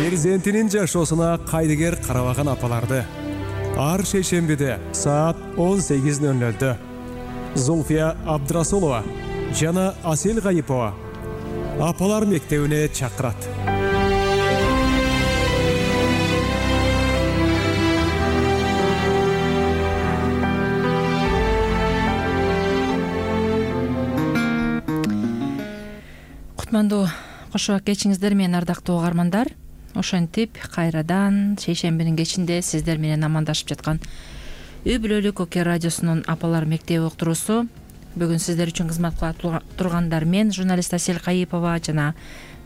перзентинин жашоосуна кайдыгер карабаган апаларды ар шейшембиде саат 18:00 Зульфия Абдрасулова жана Асел Гайипова апалар мектебине чакырат. Кутмандуу кошо кечиңиздер менен, ардактуу угармандар. Ошентип кайрадан шейшембинин кечинде сиздер менен амандашып жаткан Үй бүлөлүк ОК радиосунун апалар мектеби уктуруусу. Бүгүн сиздер үчүн кызмат кыла тургандар мен, журналист Асел Гайипова жана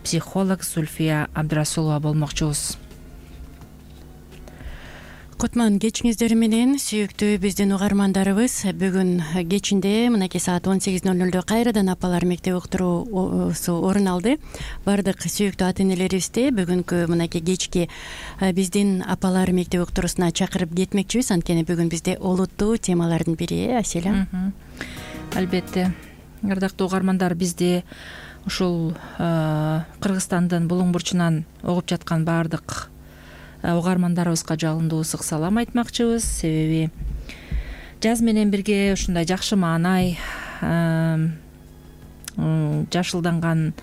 психолог Зульфия Абдрасулова болмокчубуз. Кутман кечиңиздер менен, сүйүктүү биздин угармандарыбыз. Бүгүн кечинде мынакей саат 18:00 кайрадан апалар мектеби уктуруусу орун алды. Бардык сүйүктүү ата-энелерибизди бүгүнкү мынакей кечки биздин апалар мектеби уктуруусуна чакырып кетмекчибиз. Анткени бүгүн бизде олуттуу темалардын бири, Аселя. Албетте, ардактуу угармандар, бизди ушул Кыргызстандын булуң бурчунан угуп жаткан баардык угармандарыбызга жалындуу ысык салам айтмакчыбыз. Себеби жаз менен бирге ушундай жакшы маанай, жашылданган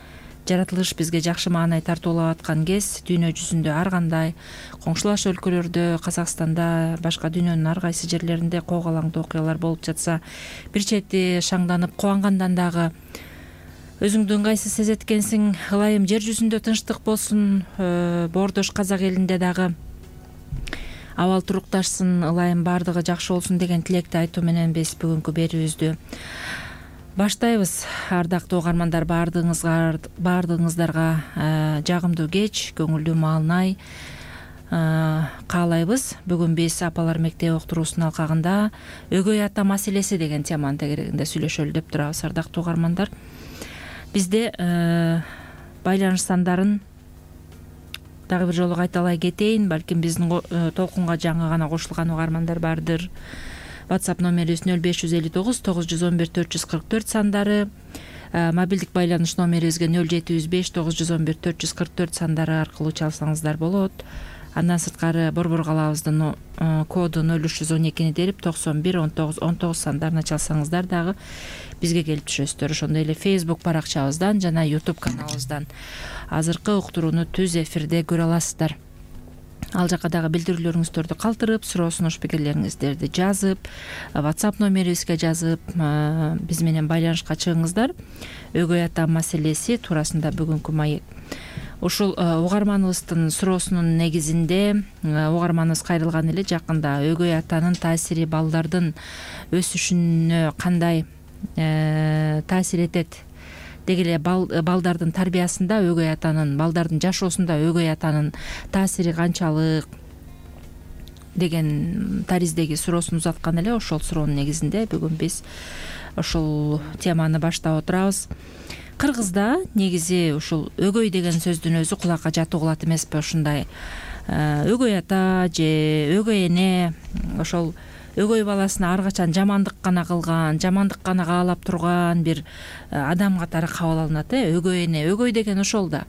жаратылыш бизге жакшы маанай тартуулап аткан кез, дүйнө жүзүндө ар кандай коңшулаш өлкөлөрдө, Казакстанда, башка дүйнөнүн ар кайсы жерлеринде когалаңдуу окуялар болуп жатса, бир чети шаңданып кубангандан дагы өзүңдү ыңгайсыз сезет экенсиң. Ылайым жер жүзүндө тынчтык болсун, боордош казак элинде дагы абал турукташсын, ылайым баардыгы жакшы болсун деген тилекти айтуу менен биз бүгүнкү берүүбүздү баштайбыз. Ардактуу угармандар, баардыгыңыздарга жагымдуу кеч, көңүлдүү маалнай каалайбыз. Бүгүн биз апалар мектеби уктуруусунун алкагында өгөй ата маселеси деген теманын тегерегинде сүйлөшөлү деп турабыз. Ардактуу угармандар, бизде байланыш сандарын дагы бир жолу кайталай кетейин. Балким биздин толкунга жаңы гана кошулган угармандар бардыр. WhatsApp номерибиз 0559 911 444 сандары, мобилдик байланыш номерибизге 0705 911 444 сандары аркылуу чалсаңыздар болот. Андан сырткары Борбор калаабыздын коду 0312 дерип 91 19 19 сандарына чалсаңыздар дагы бизге келип түшөсүздөр. Ошондой эле Facebook баракчабыздан жана YouTube каналыбыздан азыркы уктурууну түз эфирде көрө аласыздар. Ал жака дагы билдирүүлөрүңүздөрдү калтырып, суроо сунуш пикирлериңиздерди жазып, WhatsApp номерибизге жазып, биз менен байланышка чыгыңыздар. Өгөй ата маселеси туурасында бүгүнкү маек. Ушул угарманыбыздын суроосунун негизинде угарманыбыз кайрылган эле жакында өгөй атанын таасири балдардын өсүшүнө кандай таасир этет, деги эле балдардын тарбиясында өгөй атанын, балдардын жашоосунда өгөй атанын таасири канчалык деген тариздеги суроосун узаткан эле. Ошол суроонун негизинде бүгүн биз ушул теманы баштап отурабыз. Кыргызда негизи ушул өгөй деген сөздүн өзү кулакка жатуу кылат эмеспи? Ушундай өгөй ата же өгөй эне ошол өгөй баласына ар качан жамандык гана кылган, жамандык гана каалап турган бир адам катары кабыл алынат. Өгөй эне, өгөй деген ошол да.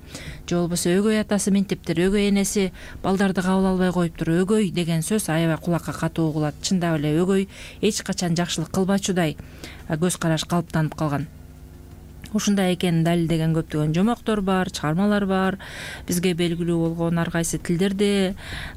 Же болбосо өгөй атасы минтиптир, өгөй энеси балдарды кабыл албай коюптур. Өгөй деген сөз аябай кулакка катуу угулат. Чындап эле өгөй эч качан жакшылык кылбачудай көз караш калыптанып калган. Ушундай экенин далилдеген көптөгөн жомоктор бар, чыгармалар бар. Бизге белгилүү болгон ар кайсы тилдерде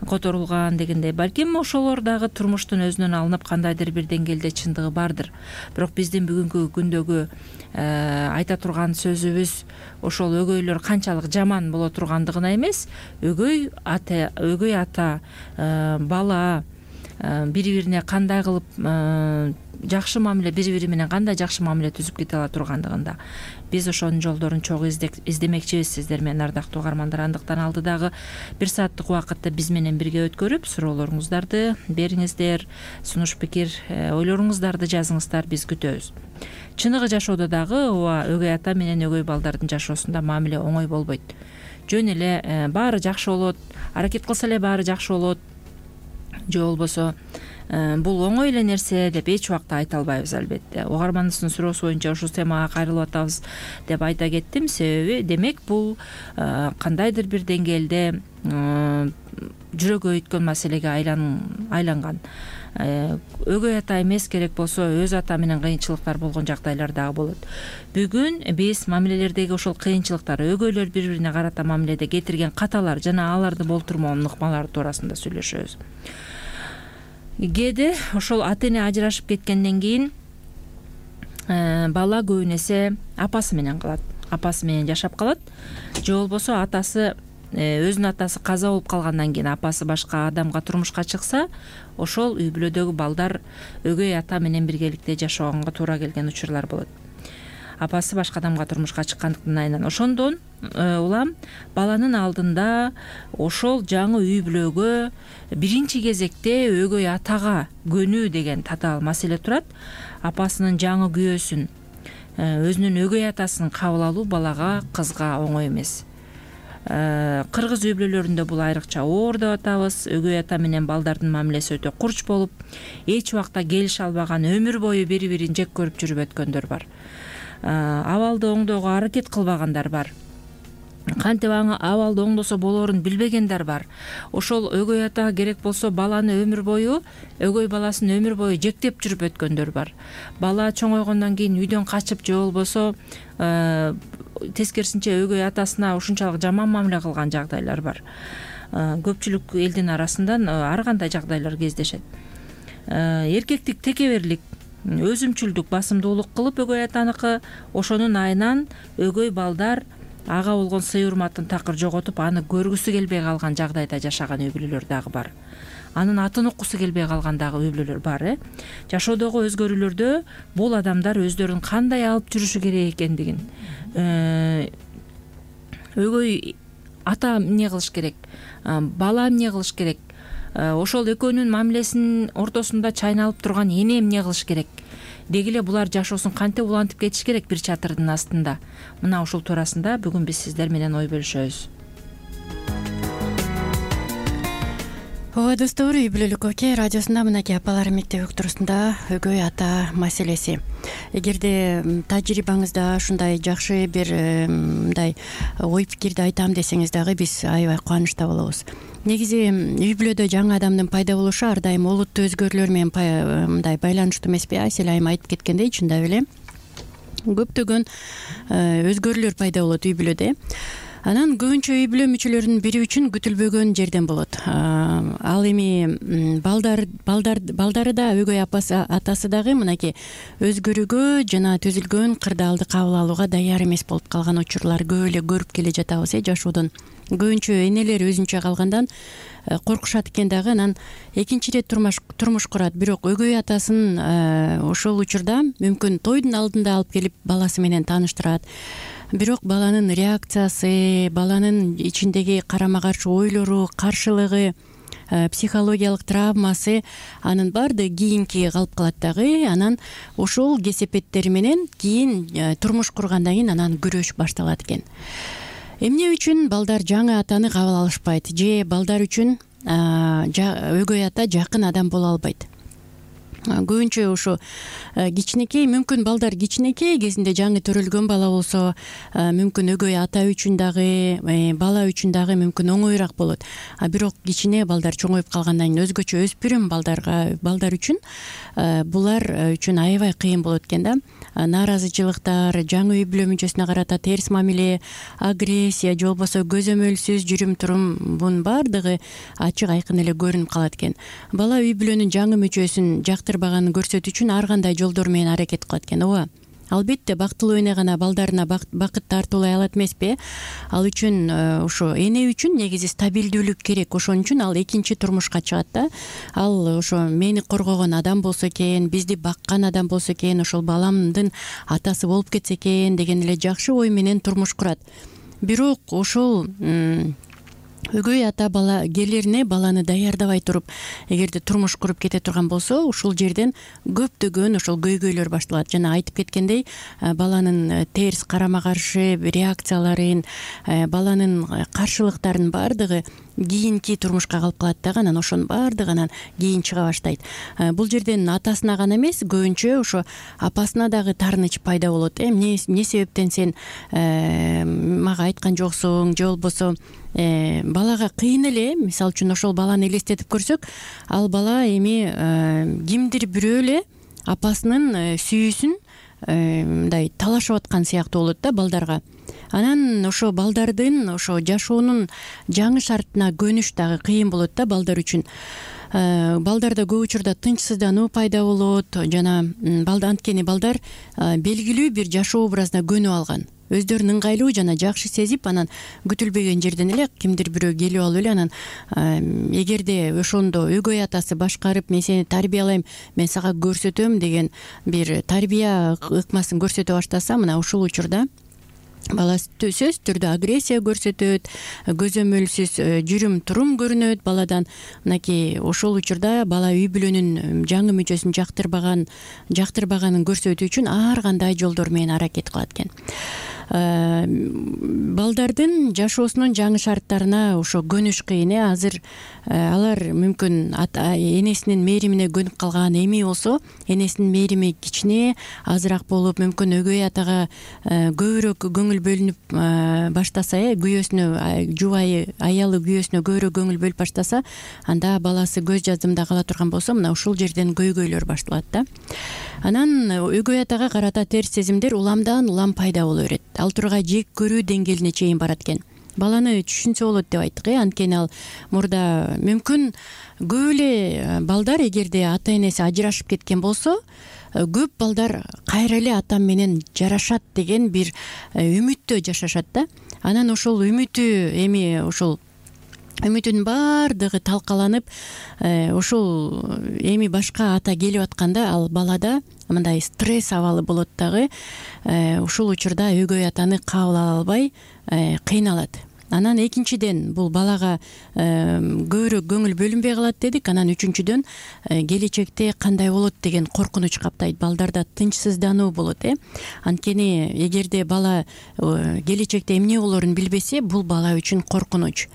которулган дегендей. Балким ошолор дагы турмуштун өзүнөн алынып кандайдыр бир деңгээлде чындыгы бардыр. Бирок биздин бүгүнкү күндөгү айта турган сөзүбүз ошол өгөйлөр канчалык жаман боло тургандыгына эмес, өгөй ата, бала бири-бирине кандай кылып жакшы мамиле, бири-бири менен кандай жакшы мамиле түзүп кете ала тургандыгында биз ошонун жолдорун чогуу издемекчибиз сиздер менен, ардактуу угармандар. Андыктан алдыдагы бир сааттык убакытты биз менен бирге өткөрүп, суроолоруңуздарды бериңиздер, сунуш пикир, ойлоруңуздарды жазыңыздар, биз күтөбүз. Чыныгы жашоодо дагы ооба өгөй ата менен өгөй балдардын жашоосунда мамиле оңой болбойт. Жөн эле баары жакшы болот, аракет кылса эле баары жакшы болот. Же болбосо бул оңой эле нерсе деп эч убакта айта албайбыз. Албетте угарманыбыздын суроосу боюнча ушул темага кайрылып атабыз деп айта кеттим. Себеби демек бул кандайдыр бир деңгээлде жүрөгү өйткөн маселеге айланган. Өгөй ата эмес, керек болсо өз ата менен кыйынчылыктар болгон жагдайлар дагы болот. Бүгүн биз мамилелердеги ошол кыйынчылыктар, өгөйлөр бири бирине карата мамиледе кетирген каталар жана аларды болтурмоонун ыкмалары туурасында сүйлөшөбүз. Кээде ошол ата эне ажырашып кеткенден кийин бала көбүн эсе апасы менен калат, апасы менен жашап калат. Же болбосо атасы, өзүнүн атасы каза болуп калгандан кийин апасы башка адамга турмушка чыкса, ошол үй бүлөдөгү балдар өгөй ата менен биргеликте жашоого туура келген учурлар болот. Апасы башка адамга турмушка чыккандыктан айынан ошондон улам баланын алдында ошол жаңы үй бүлөгө биринчи кезекте өгөй атага көнүү деген татаал маселе турат. Апасынын жаңы күйөөсүн, өзүнүн өгөй атасын кабыл алуу балага, кызга оңой эмес. Кыргыз үй бүлөлөрүндө бул айрыкча оор деп атабыз. Өгөй ата менен балдардын мамилеси өтө курч болуп, эч убакта келише албаган, өмүр бою бири бирин жек көрүп жүрүп өткөндөр бар. Абалды оңдоого аракет кылбагандар бар. Кантип абалды оңдосо болоорун билбегендер бар. Ошол өгөй ата керек болсо баланы өмүр бою, өгөй баласын өмүр бою жектеп жүрүп өткөндөр бар. Бала чоңойгондон кийин үйдөн качып, же болбосо тескерисинче өгөй атасына ушунчалык жаман мамиле кылган жагдайлар бар. Көпчүлүк элдин арасынан ар кандай жагдайлар кездешет. Эркектик текеберлик, өзүмчүлдүк, басымдуулук кылып өгөй атаныкы, ошонун айынан өгөй балдар ага болгон сый урматын такыр жоготуп, аны көргүсү келбей калган жагдайда жашаган үй бүлөлөр дагы бар. Анын атын уккусу келбей калган дагы үй бүлөлөр бар. Жашоодогу өзгөрүүлөрдө бул адамдар өздөрүн кандай алып жүрүшү керек экендигин, өгөй ата эмне кылыш керек, бала эмне кылыш керек, ошол экөөнүн мамилесинин ортосунда чайналып турган эне эмне кылыш керек, деги эле булар жашоосун кантип улантып кетиш керек бир чатырдын астында. Мына ушул туурасында бүгүн биз сиздер менен ой бөлүшөбүз. Ооба достор, үй бүлөлүк оке радиосунда мынакей апалар мектеп уктуруусунда өгөй ата маселеси. Эгерде тажрыйбаңызда ушундай жакшы бир мындай ой пикирди айтам десеңиз дагы биз аябай кубанычта болобуз. Негизи үй бүлөдө жаңы адамдын пайда болушу ар дайым олуттуу өзгөрүүлөр менен мындай байланыштуу эмеспи? Асель айым айтып кеткендей, чындап эле көптөгөн өзгөрүүлөр пайда болот үй бүлөдө. Анан көбүнчө үй бүлө мүчөлөрүнүн бири үчүн күтүлбөгөн жерден болот. Ал эми балдары да, өгөй атасы дагы мынакей өзгөрүүгө жана түзүлгөн кырдаалды кабыл алууга даяр эмес болуп калган учурлар көп эле көрүп келе жатабыз жашоодон. Көбүнчө энелер өзүнчө калгандан коркушат экен дагы, анан экинчи ирет турмуш курат. Бирок өгөй атасын ошол учурда мүмкүн тойдун алдында алып келип баласы менен тааныштырат. Бирок баланын реакциясы, баланын ичиндеги карама каршы ойлору, каршылыгы, психологиялык травмасы, анын баардыгы кийинки калып калат дагы. Анан ошол кесепеттери менен кийин турмуш кургандан кийин анан күрөш башталат экен. Эмне үчүн балдар жаңы атаны кабыл алышпайт, же балдар үчүн өгөй ата жакын адам боло албайт? Көбүнчө ошо кичинекей, мүмкүн балдар кичинекей кезинде жаңы төрөлгөн бала болсо, мүмкүн өгөй ата үчүн дагы, бала үчүн дагы мүмкүн оңоюраак болот. Бирок кичине балдар чоңоюп калгандан кийин өзгөчө өспүрүм балдар үчүн булар үчүн аябай кыйын болот экен да. Нааразычылыктар, жаңы үй бүлө мүчөсүнө карата терс мамиле, агрессия, же болбосо көзөмөлсүз жүрүм турум, бунун баардыгы ачык айкын эле көрүнүп калат экен. Бала үй бүлөнүн жаңы мүчөсүн жактырбаганын көрсөтүү үчүн ар кандай жолдор менен аракет кылат экен. Ооба, албетте бактылуу эне гана балдарына бакыт тартуулай алат эмеспи? Ал үчүн ошо эне үчүн негизи стабилдүүлүк керек. Ошон үчүн ал экинчи турмушка чыгат да. Ал ошо мени коргогон адам болсо экен, бизди баккан адам болсо экен, ошол баламдын атасы болуп кетсе экен деген эле жакшы ой менен турмуш курат. Бирок ошол Өгөй ата бала келерине баланы даярдабай туруп эгерде турмуш куруп кете турган болсо, ушул жерден көптөгөн ошол көйгөйлөр башталат. Жана айтып кеткендей, баланын терс карама каршы реакцияларын, баланын каршылыктарынын баардыгы кийинки турмушка калып калат дагы, анан ошонун баардыгы анан кийин чыга баштайт. Бул жерден атасына гана эмес, көбүнчө ошо апасына дагы таарыныч пайда болот. Эмне себептен сен мага айткан жоксуң, же болбосо балага кыйын эле. Мисалы үчүн ошол баланы элестетип көрсөк, ал бала эми кимдир бирөө эле апасынын сүйүүсүн мындай талашып аткан сыяктуу болот да балдарга. Анан ошо балдардын ошо жашоонун жаңы шартына көнүш дагы кыйын болот да балдар үчүн. Балдарда көп учурда тынчсыздануу пайда болот. Жана анткени балдар белгилүү бир жашоо образына көнүп алган, өздөрүн ыңгайлуу жана жакшы сезип, анан күтүлбөгөн жерден эле кимдир бирөө келип алып эле анан эгерде ошондо өгөй атасы башкарып, мен сени тарбиялайм, мен сага көрсөтөм деген бир тарбия ыкмасын көрсөтө баштаса, мына ушул учурда бала сөзсүз түрдө агрессия көрсөтөт, көзөмөлсүз жүрүм турум көрүнөт баладан. Мынакей ошол учурда бала үй бүлөнүн жаңы мүчөсүн жактырбаганын көрсөтүү үчүн ар кандай жолдор менен аракет кылат экен. Балдардын жашоосунун жаңы шарттарына ошо көнүш кыйын. Азыр алар мүмкүн энесинин мээримине көнүп калган, эми болсо энесинин мээрими кичине азыраак болуп, мүмкүн өгөй атага көбүрөөк көңүл бөлүнүп баштаса, күйөөсүнө, жубайы аялы күйөөсүнө көбүрөөк көңүл бөлүп баштаса, анда баласы көз жаздымда кала турган болсо, мына ушул жерден көйгөйлөр башталат да. Анан өгөй атага карата терс сезимдер уламдан улам пайда боло берет. Ал тургай жек көрүү деңгээлине чейин барат экен. Баланы түшүнсө болот деп айттык. Анткени ал мурда мүмкүн көп эле балдар эгерде ата энеси ажырашып кеткен болсо, көп балдар кайра эле атам менен жарашат деген бир үмүттө жашашат да. Анан ошол үмүтүнүн баардыгы талкаланып, ошол эми башка ата келип атканда ал балада мындай стресс абалы болот дагы. Ушул учурда өгөй атаны кабыл ала албай кыйналат. Анан экинчиден бул балага көбүрөөк көңүл бөлүнбөй калат дедик. Анан үчүнчүдөн келечекте кандай болот деген коркунуч каптайт. Балдарда тынчсыздануу болот. Анткени эгерде бала келечекте эмне болорун билбесе, бул бала үчүн коркунуч.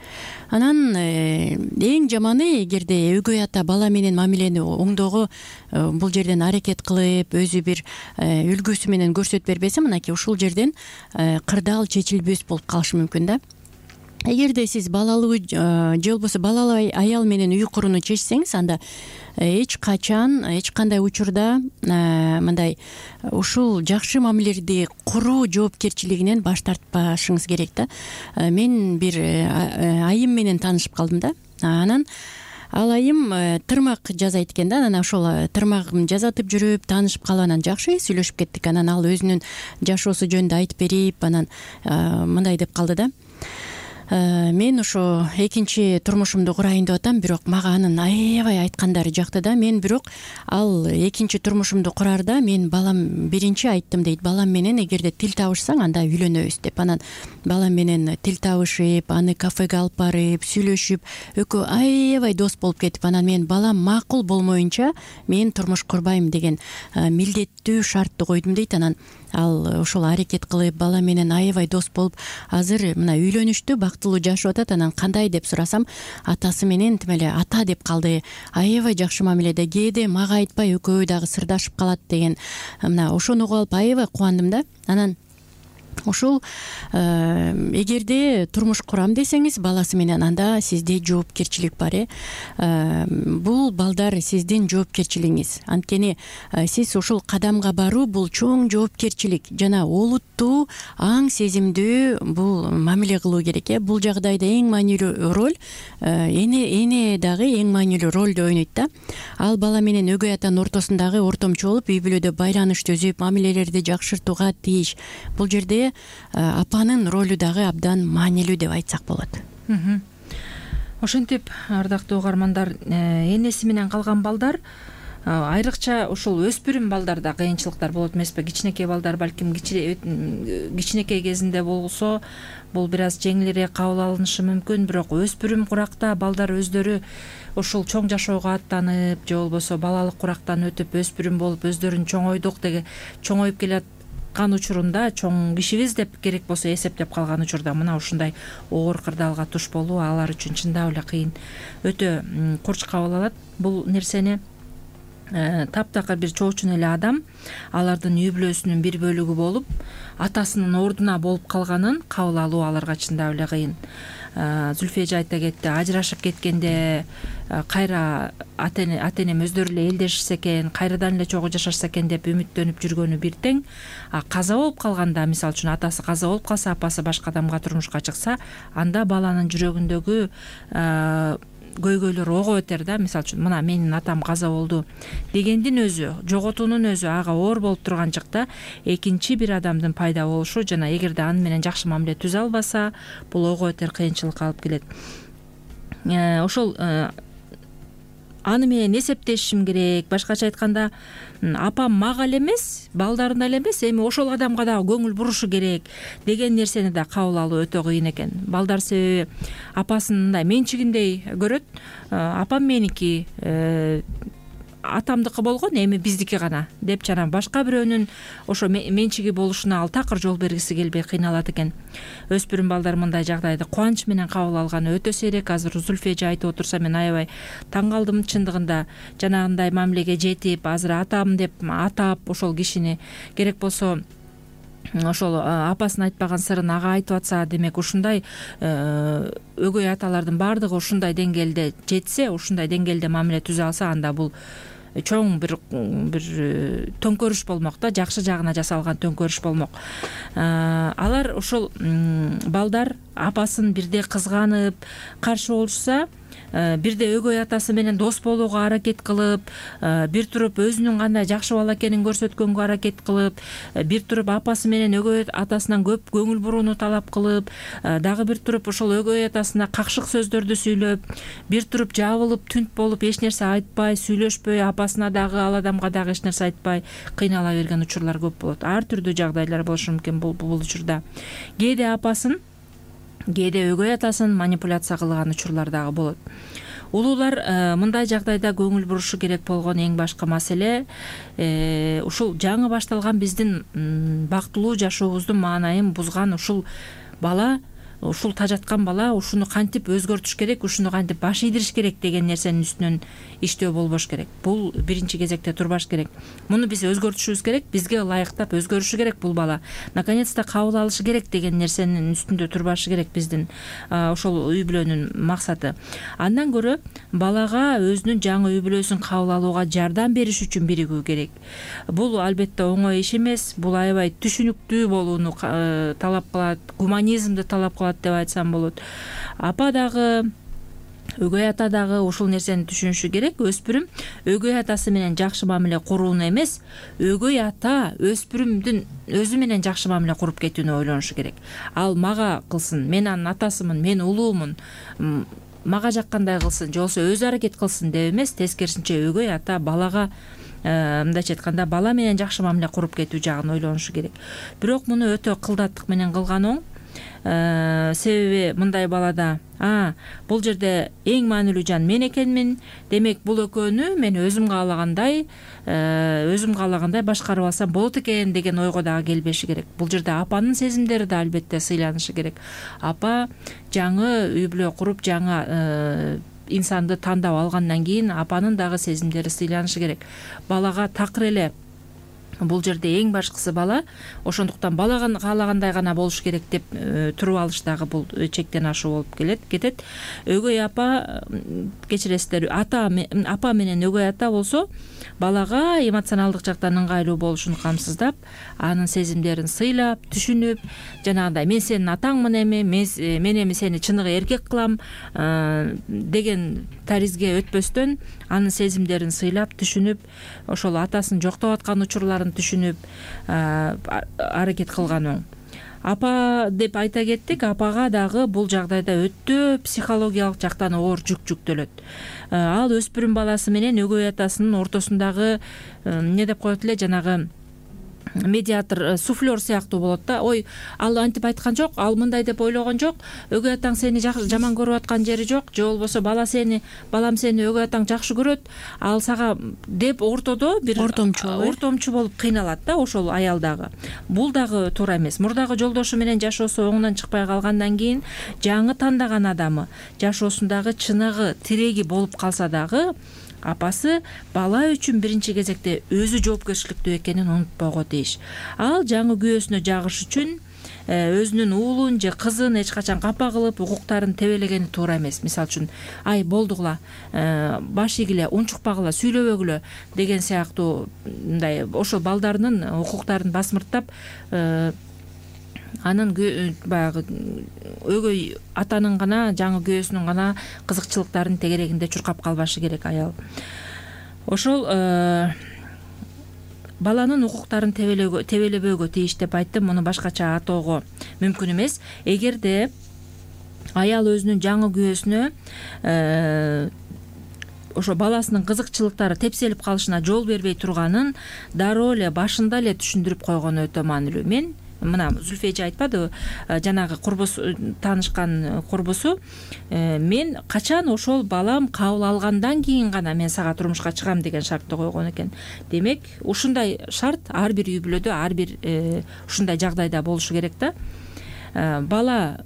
Анан эң жаманы, эгерде өгөй ата бала менен мамилени оңдоого бул жерден аракет кылып, өзү бир үлгүсү менен көрсөтүп бербесе, мынакей ушул жерден кырдаал чечилбөс болуп калышы мүмкүн да. Эгерде сиз балалуу же болбосо балалуу аял менен үй курууну чечсеңиз, анда эч качан, эч кандай учурда мындай ушул жакшы мамилелерди куруу жоопкерчилигинен баш тартпашыңыз керек да. Мен бир айым менен таанышып калдым да. Анан ал айым тырмак жасайт экен да. Анан ошол тырмагын жасатып жүрүп таанышып калып, анан жакшы сүйлөшүп кеттик. Анан ал өзүнүн жашоосу жөнүндө айтып берип, анан мындай деп калды да. Мен ошо экинчи турмушумду курайын деп атам, бирок мага анын аябай айткандары жакты да. Мен бирок ал экинчи турмушумду курарда мен балам биринчи айттым дейт. Балам менен эгерде тил табышсаң, анда үйлөнөбүз деп. Анан балам менен тил табышып, аны кафеге алып барып, сүйлөшүп, экөө аябай дос болуп кетип, анан мен балам макул болмоюнча мен турмуш курбайм деген милдеттүү шартты койдум дейт. Анан ал ошол аракет кылып, бала менен аябай дос болуп, азыр мына үйлөнүштү, бактылуу жашап атат. Анан кандай деп сурасам, атасы менен тим эле ата деп калды, аябай жакшы мамиледе, кээде мага айтпай экөө дагы сырдашып калат деген. Мына ошону угуп алып аябай кубандым да. Анан ушул эгерде турмуш курам десеңиз, баласы менен, анда сизде жоопкерчилик бар. Бул балдар сиздин жоопкерчилигиңиз. Анткени сиз ушул кадамга баруу бул чоң жоопкерчилик жана олуттуу аң сезимдүү бул мамиле кылуу керек. Бул жагдайда эң маанилүү роль эне дагы эң маанилүү ролду ойнойт да. Ал бала менен өгөй атанын ортосундагы ортомчу болуп, үй бүлөдө байланыш түзүп, мамилелерди жакшыртууга тийиш. Бул жерде апанын ролу дагы абдан маанилүү деп айтсак болот. Ошентип, ардактуу угармандар, энеси менен калган балдар айрыкча ушул өспүрүм балдарда кыйынчылыктар болот эмеспи? Кичинекей балдар балким кичинекей кезинде болсо бул бир аз жеңилирээк кабыл алынышы мүмкүн, бирок өспүрүм куракта балдар өздөрү ушул чоң жашоого аттанып же болбосо балалык курактан өтүп өспүрүм болуп өздөрүн чоңойдук деген чоңоюп келаткан учурунда чоң кишибиз деп керек болсо эсептеп калган учурда мына ушундай оор кырдаалга туш болуу алар үчүн чындап эле кыйын, өтө курч кабыл алат бул нерсени. Таптакыр бир чоочун эле адам алардын үй бүлөсүнүн бир бөлүгү болуп атасынын ордуна болуп калганын кабыл алуу аларга чындап эле кыйын. Зүлфия эже айта кетти, ажырашып кеткенде кайра ата энем өздөрү эле элдешсе экен, кайрадан эле чогуу жашашса экен деп үмүттөнүп жүргөнү бир тең, каза болуп калганда, мисалы үчүн атасы каза болуп калса, апасы башка адамга турмушка чыкса, анда баланын жүрөгүндөгү көйгөйлөр ого өтөр да. Мисалы үчүн мына менин атам каза болду дегендин өзү, жоготуунун өзү ага оор болуп турган чакта экинчи бир адамдын пайда болушу жана эгерде аны менен жакшы мамиле түзө албаса, бул ого өтөр кыйынчылыкка алып келет. Ошол аны менен эсептешишим керек. Башкача айтканда, апам мага эле эмес, балдарына эле эмес, эми ошол адамга дагы көңүл бурушу керек деген нерсени да кабыл алуу өтө кыйын экен. Балдар себеби апасын мындай менчигиндей көрөт. Апам меники, атамдыкы болгон, эми биздики гана деп жана башка бирөөнүн ошо менчиги болушуна ал такыр жол бергиси келбей кыйналат экен. Өспүрүм балдар мындай жагдайды кубанч менен кабыл алганы өтө сейрек. Азыр Зүлфия эже айтып отурса мен аябай таң калдым чындыгында. Жанагындай мамилеге жетип, азыр атам деп атап ошол кишини керек болсо ошол апасын айтпаган сырын ага айтып атса, демек ушундай өгөй аталардын баардыгы ушундай деңгээлде жетсе, ушундай деңгээлде мамиле түзө алса, анда бул чоң бир төңкөрүш болмок да, жакшы жагына жасалган төңкөрүш болмок. Алар ошол балдар апасын бирде кызганып каршы болушса, бирде өгөй атасы менен дос болууга аракет кылып, бир туруп өзүнүн кандай жакшы бала экенин көрсөткөнгө аракет кылып, бир туруп апасы менен өгөй атасынан көп көңүл бурууну талап кылып, дагы бир туруп ошол өгөй атасына какшык сөздөрдү сүйлөп, бир туруп жабылып түнт болуп эч нерсе айтпай, сүйлөшпөй, апасына дагы ал адамга дагы эч нерсе айтпай кыйнала берген учурлар көп болот. Ар түрдүү жагдайлар болушу мүмкүн бул учурда. Кээде апасын, кээде өгөй атасын манипуляция кылган учурлар дагы болот. Улуулар мындай жагдайда көңүл бурушу керек болгон эң башкы маселе ушул жаңы башталган биздин бактылуу жашообуздун маанайын бузган ушул бала, ушул тажаткан бала ушуну кантип өзгөртүш керек, ушуну кантип баш ийдириш керек деген нерсенин үстүнөн иштөө болбош керек. Бул биринчи кезекте турбаш керек. Муну биз өзгөртүшүбүз керек, бизге ылайыктап өзгөрүшү керек бул бала. Наконец-то кабыл алышы керек деген нерсенин үстүндө турбашы керек биздин ошол үй бүлөнүн максаты. Андан көрө балага өзүнүн жаңы үй бүлөсүн кабыл алууга жардам бериш үчүн биригүү керек. Бул албетте оңой иш эмес. Бул аябай түшүнүктүү болууну талап кылат, гуманизмди талап кылат деп айтсам болот. Апа дагы, өгөй ата дагы ушул нерсени түшүнүшү керек. Өспүрүм өгөй атасы менен жакшы мамиле курууну эмес, өгөй ата өспүрүмдүн өзү менен жакшы мамиле куруп кетүүнү ойлонушу керек. Ал мага кылсын, мен анын атасымын, мен улуумун, мага жаккандай кылсын, же болбосо өзү аракет кылсын деп эмес, тескерисинче өгөй ата балага мындайча айтканда бала менен жакшы мамиле куруп кетүү жагын ойлонушу керек. Бирок муну өтө кылдаттык менен кылган оң. Себеби мындай балада бул жерде эң маанилүү жан мен экенмин, демек бул экөөнү мен өзүм каалагандай башкарып алсам болот экен деген ойго дагы келбеши керек. Бул жерде апанын сезимдери да албетте сыйланышы керек. Апа жаңы үй бүлө куруп, жаңы инсанды тандап алгандан кийин апанын дагы сезимдери сыйланышы керек. Балага такыр эле бул жерде эң башкысы бала, ошондуктан бала каалагандай гана болуш керек деп туруп алыш дагы бул чектен ашуу болуп кетет. Өгөй апа, кечиресиздер, апа менен өгөй ата болсо балага эмоционалдык жактан ыңгайлуу болушун камсыздап, анын сезимдерин сыйлап, түшүнүп, жанагындай мен сенин атаңмын эми, мен эми сени чыныгы эркек кылам деген таризге өтпөстөн, анын сезимдерин сыйлап, түшүнүп, ошол атасын жоктоп аткан учурларын түшүнүп аракет кылган оң. апа деп айта кеттик. Апага дагы бул жагдайда өтө психологиялык жактан оор жүк жүктөлөт. Ал өспүрүм баласы менен өгөй атасынын ортосундагы эмне деп коет эле, жанагы медиатор, суфлер сыяктуу болот да. Ой, ал антип айткан жок, ал мындай деп ойлогон жок, өгөй атаң сени жаман көрүп аткан жери жок, же болбосо балам сени өгөй атаң жакшы көрөт, ал сага деп ортодо бир ортомчу болуп кыйналат да ошол аял дагы. Бул дагы туура эмес. Мурдагы жолдошу менен жашоосу оңунан чыкпай калгандан кийин жаңы тандаган адамы жашоосундагы чыныгы, тиреги болуп калса дагы апасы бала үчүн биринчи кезекте өзү жоопкерчиликтүү экенин унутпого тийиш. Ал жаңы күйөөсүнө жагыш үчүн өзүнүн уулун же кызын эч качан капа кылып укуктарын тебелегени туура эмес. Мисалы үчүн, ай болдугула, баш игиле, унчукпагыла, сүйлөбөгүлө деген сыяктуу мындай ошол балдарынын укуктарын басмырттап, анын баягы өгөй атанын гана, жаңы күйөөсүнүн гана кызыкчылыктарын тегерегинде чуркап калбашы керек аял. Ошол баланын укуктарын тебелебөөгө тийиш деп айттым. Муну башкача атоого мүмкүн эмес. Эгерде аял өзүнүн жаңы күйөөсүнө ошо баласынын кызыкчылыктары тепселип калышына жол бербей турганын дароо эле башында эле түшүндүрүп койгону өтө маанилүү. Мен мына Зүлфия эже айтпадыбы, жанагы таанышкан курбусу, мен качан ошол балам кабыл алгандан кийин гана мен сага турмушка чыгам деген шартты койгон экен. Демек, ушундай шарт ар бир үй бүлөдө, ар бир ушундай жагдайда болушу керек да. Бала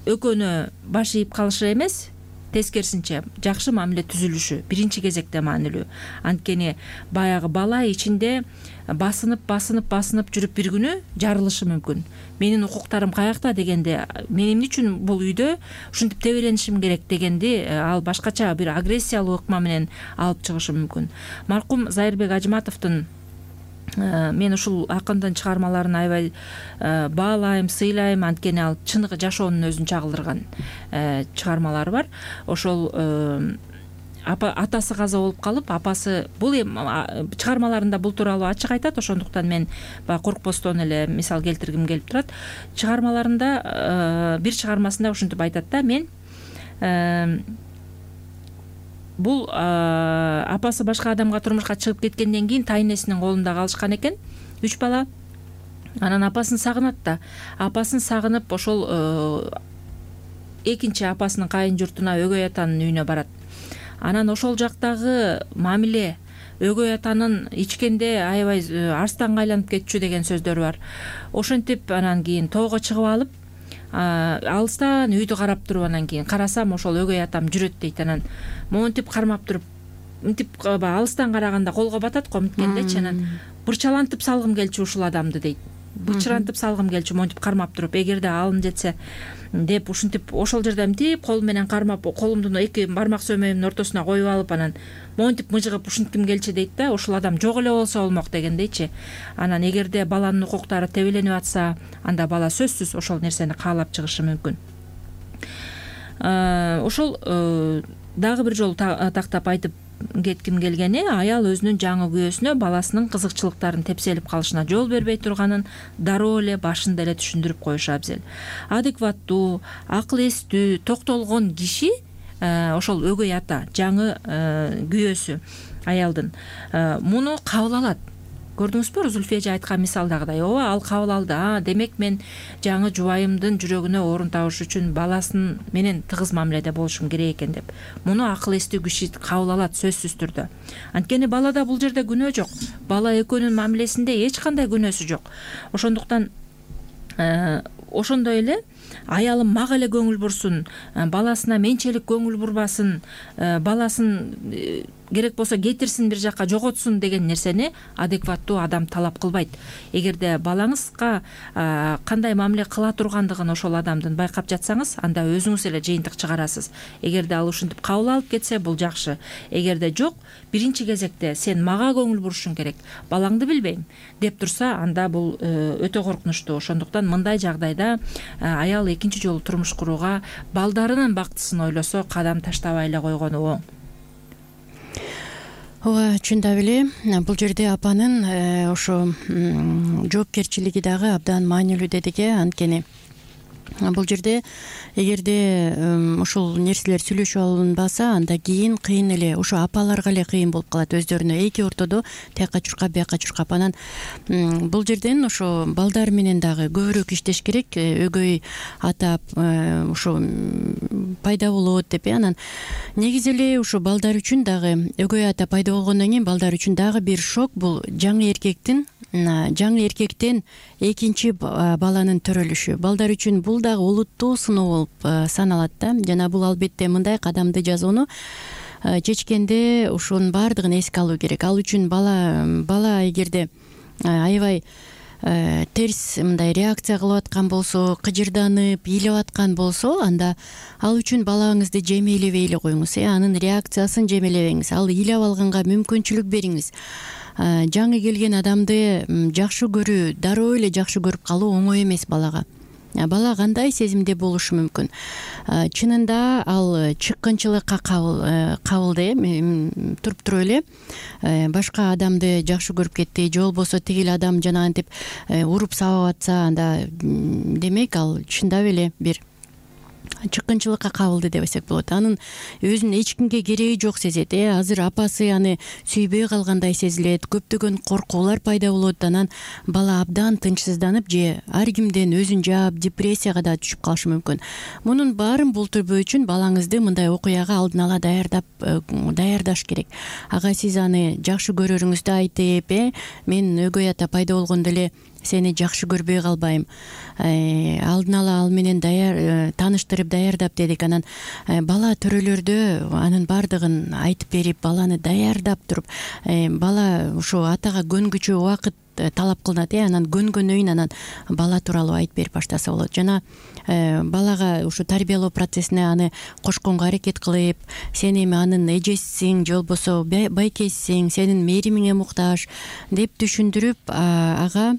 экөөнө баш ийип калышы эмес, тескерисинче жакшы мамиле түзүлүшү биринчи кезекте маанилүү. Анткени баягы бала ичинде басынып жүрүп бир күнү жарылышы мүмкүн. Менин укуктарым каякта дегенде, мен эмне үчүн бул үйдө ушинтип тебеленишим керек дегенди ал башкача бир агрессиялуу ыкма менен алып чыгышы мүмкүн. Маркум Зайырбек Ажыматовдун мен ушул акындын чыгармаларын аябай баалайм, сыйлайм, анткени ал чыныгы жашоонун өзүн чагылдырган чыгармалары бар. Ошол атасы каза болуп калып, апасы бул чыгармаларында бул тууралуу ачык айтат. Ошондуктан мен баягы коркпостон эле мисал келтиргим келип турат. Чыгармаларында бир чыгармасында ушинтип айтат да, мен бул апасы башка адамга турмушка чыгып кеткенден кийин тайнесинин колунда калышкан экен, 3 бала. Анан апасын сагынат да. Апасын сагынып ошол экинчи апасынын кайын журтуна, өгөй атанын үйүнө барат. Анан ошол жактагы мамиле, өгөй атанын ичкенде аябай арстанга айланып кетчү деген сөздөрү бар. Ошентип анан кийин тоого чыгып алып, алыстан үйдү карап туруп, анан кийин карасам ошол өгөй атам жүрөт дейт. Анан монтип кармап туруп, мынтип алыстан караганда колго батат го мынткендечи. Анан бырчалантып салгым келчү ушул адамды дейт. Бычырантып салгым келчү, монтип кармап туруп, эгерде алым жетсе деп ушинтип ошол жерде мынтип кол менен кармап, колумдун эки бармак сөмөйүмдүн ортосуна коюп алып, анан монтип мыжыгып ушинтким келчү дейт да. Ошол адам жок эле болсо болмок дегендейчи. Анан эгерде баланын укуктары тебеленип атса, анда бала сөзсүз ошол нерсени каалап чыгышы мүмкүн. Ошол дагы бир жолу тактап айтып кетким келгени, аял өзүнүн жаңы күйөөсүнө баласынын кызыкчылыктарын тепселип калышына жол бербей турганын дароо эле башында эле түшүндүрүп коюшу абзел. Адекваттуу, акыл эстүү, токтолгон киши ошол өгөй ата, жаңы күйөөсү аялдын муну кабыл алат. Көрдүңүзбү, Зүлфия эже айткан мисалдагыдай, ооба, ал кабыл алды. Демек мен жаңы жубайымдын жүрөгүнө орун табыш үчүн баласын менен тыгыз мамиледе болушум керек экен деп. Муну акыл эстүү киши кабыл алат сөзсүз түрдө. Анткени балада бул жерде күнөө жок. Бала экөөнүн мамилесинде эч кандай күнөөсү жок. Ошондуктан ошондой эле аялым мага эле көңүл бурсун, баласына менчелик көңүл бурбасын, баласын керек болсо кетирсин, бир жакка жоготсун деген нерсени адекваттуу адам талап кылбайт. Эгерде балаңызга кандай мамиле кыла тургандыгын ошол адамдын байкап жатсаңыз, анда өзүңүз эле жыйынтык чыгарасыз. Эгерде ал ушинтип кабыл алып кетсе, бул жакшы. Эгерде жок, биринчи кезекте сен мага көңүл бурушуң керек, балаңды билбейм деп турса, анда бул өтө коркунучтуу. Ошондуктан мындай жагдайда аял экинчи жолу турмуш курууга балдарынын бактысын ойлосо, кадам таштабай эле койгону оң. ооба, чындап эле бул жерде апанын ошо жоопкерчилиги дагы абдан маанилүү дедик. Анткени бул жерде эгерде ушул нерселер сүйлөшүп алынбаса, анда кийин кыйын эле, ошо апаларга эле кыйын болуп калат өздөрүнө эки ортодо тияка чуркап бияка чуркап. Анан бул жерден ошо балдар менен дагы көбүрөөк иштеш керек. Өгөй ата ошо пайда болот деп. Анан негизи эле ушо балдар үчүн дагы өгөй ата пайда болгондон кийин балдар үчүн дагы бир шок бул жаңы эркектен экинчи баланын төрөлүшү. Балдар үчүн бул дагы олуттуу сыноо болуп саналат да. Жана бул албетте мындай кадамды жасоону чечкенде ушунун баардыгын эске алуу керек. Ал үчүн бала эгерде аябай терс мындай реакция кылып аткан болсо, кыжырданып, ыйлап аткан болсо, анда ал үчүн балаңызды жемелебей эле коюңуз. Анын реакциясын жемелебеңиз. Ал ыйлап алганга мүмкүнчүлүк бериңиз. Жаңы келген адамды жакшы көрүү, дароо эле жакшы көрүп калуу оңой эмес балага. Бала кандай сезимде болушу мүмкүн? Чынында ал чыккынчылыкка кабыл туруп туруп эле башка адамды жакшы көрүп кетти, же болбосо тигил адам жанагынтип уруп сабап атса, анда демек ал чындап эле бир чыккынчылыкка кабылды десек болот. Анын өзүнүн эч кимге кереги жок сезет. Азыр апасы аны сүйбөй калгандай сезилет, көптөгөн коркуулар пайда болот. Анан бала абдан тынчсызданып же ар кимден өзүн жаап депрессияга да түшүп калышы мүмкүн. Мунун баарын болтурбоо үчүн балаңызды мындай окуяга алдын ала даярдаш керек. Ага сиз аны жакшы көрөрүңүздү айтып, мен өгөй ата пайда болгондо эле сени жакшы көрбөй калбайм. Алдын ала ал менен тааныштырып даярдап дедик. Анан бала төрөлөрдө анын баардыгын айтып берип, баланы даярдап туруп, бала ошо атага көнгүчө убакыт талап кылынат. Анан көнгөндөн кийин анан бала тууралуу айтып берип баштаса болот. Жана балага ушу тарбиялоо процессине аны кошконго аракет кылып, сен эми анын эжесиң, же болбосо байкесиң, сенин мээримиңе муктаж деп түшүндүрүп, ага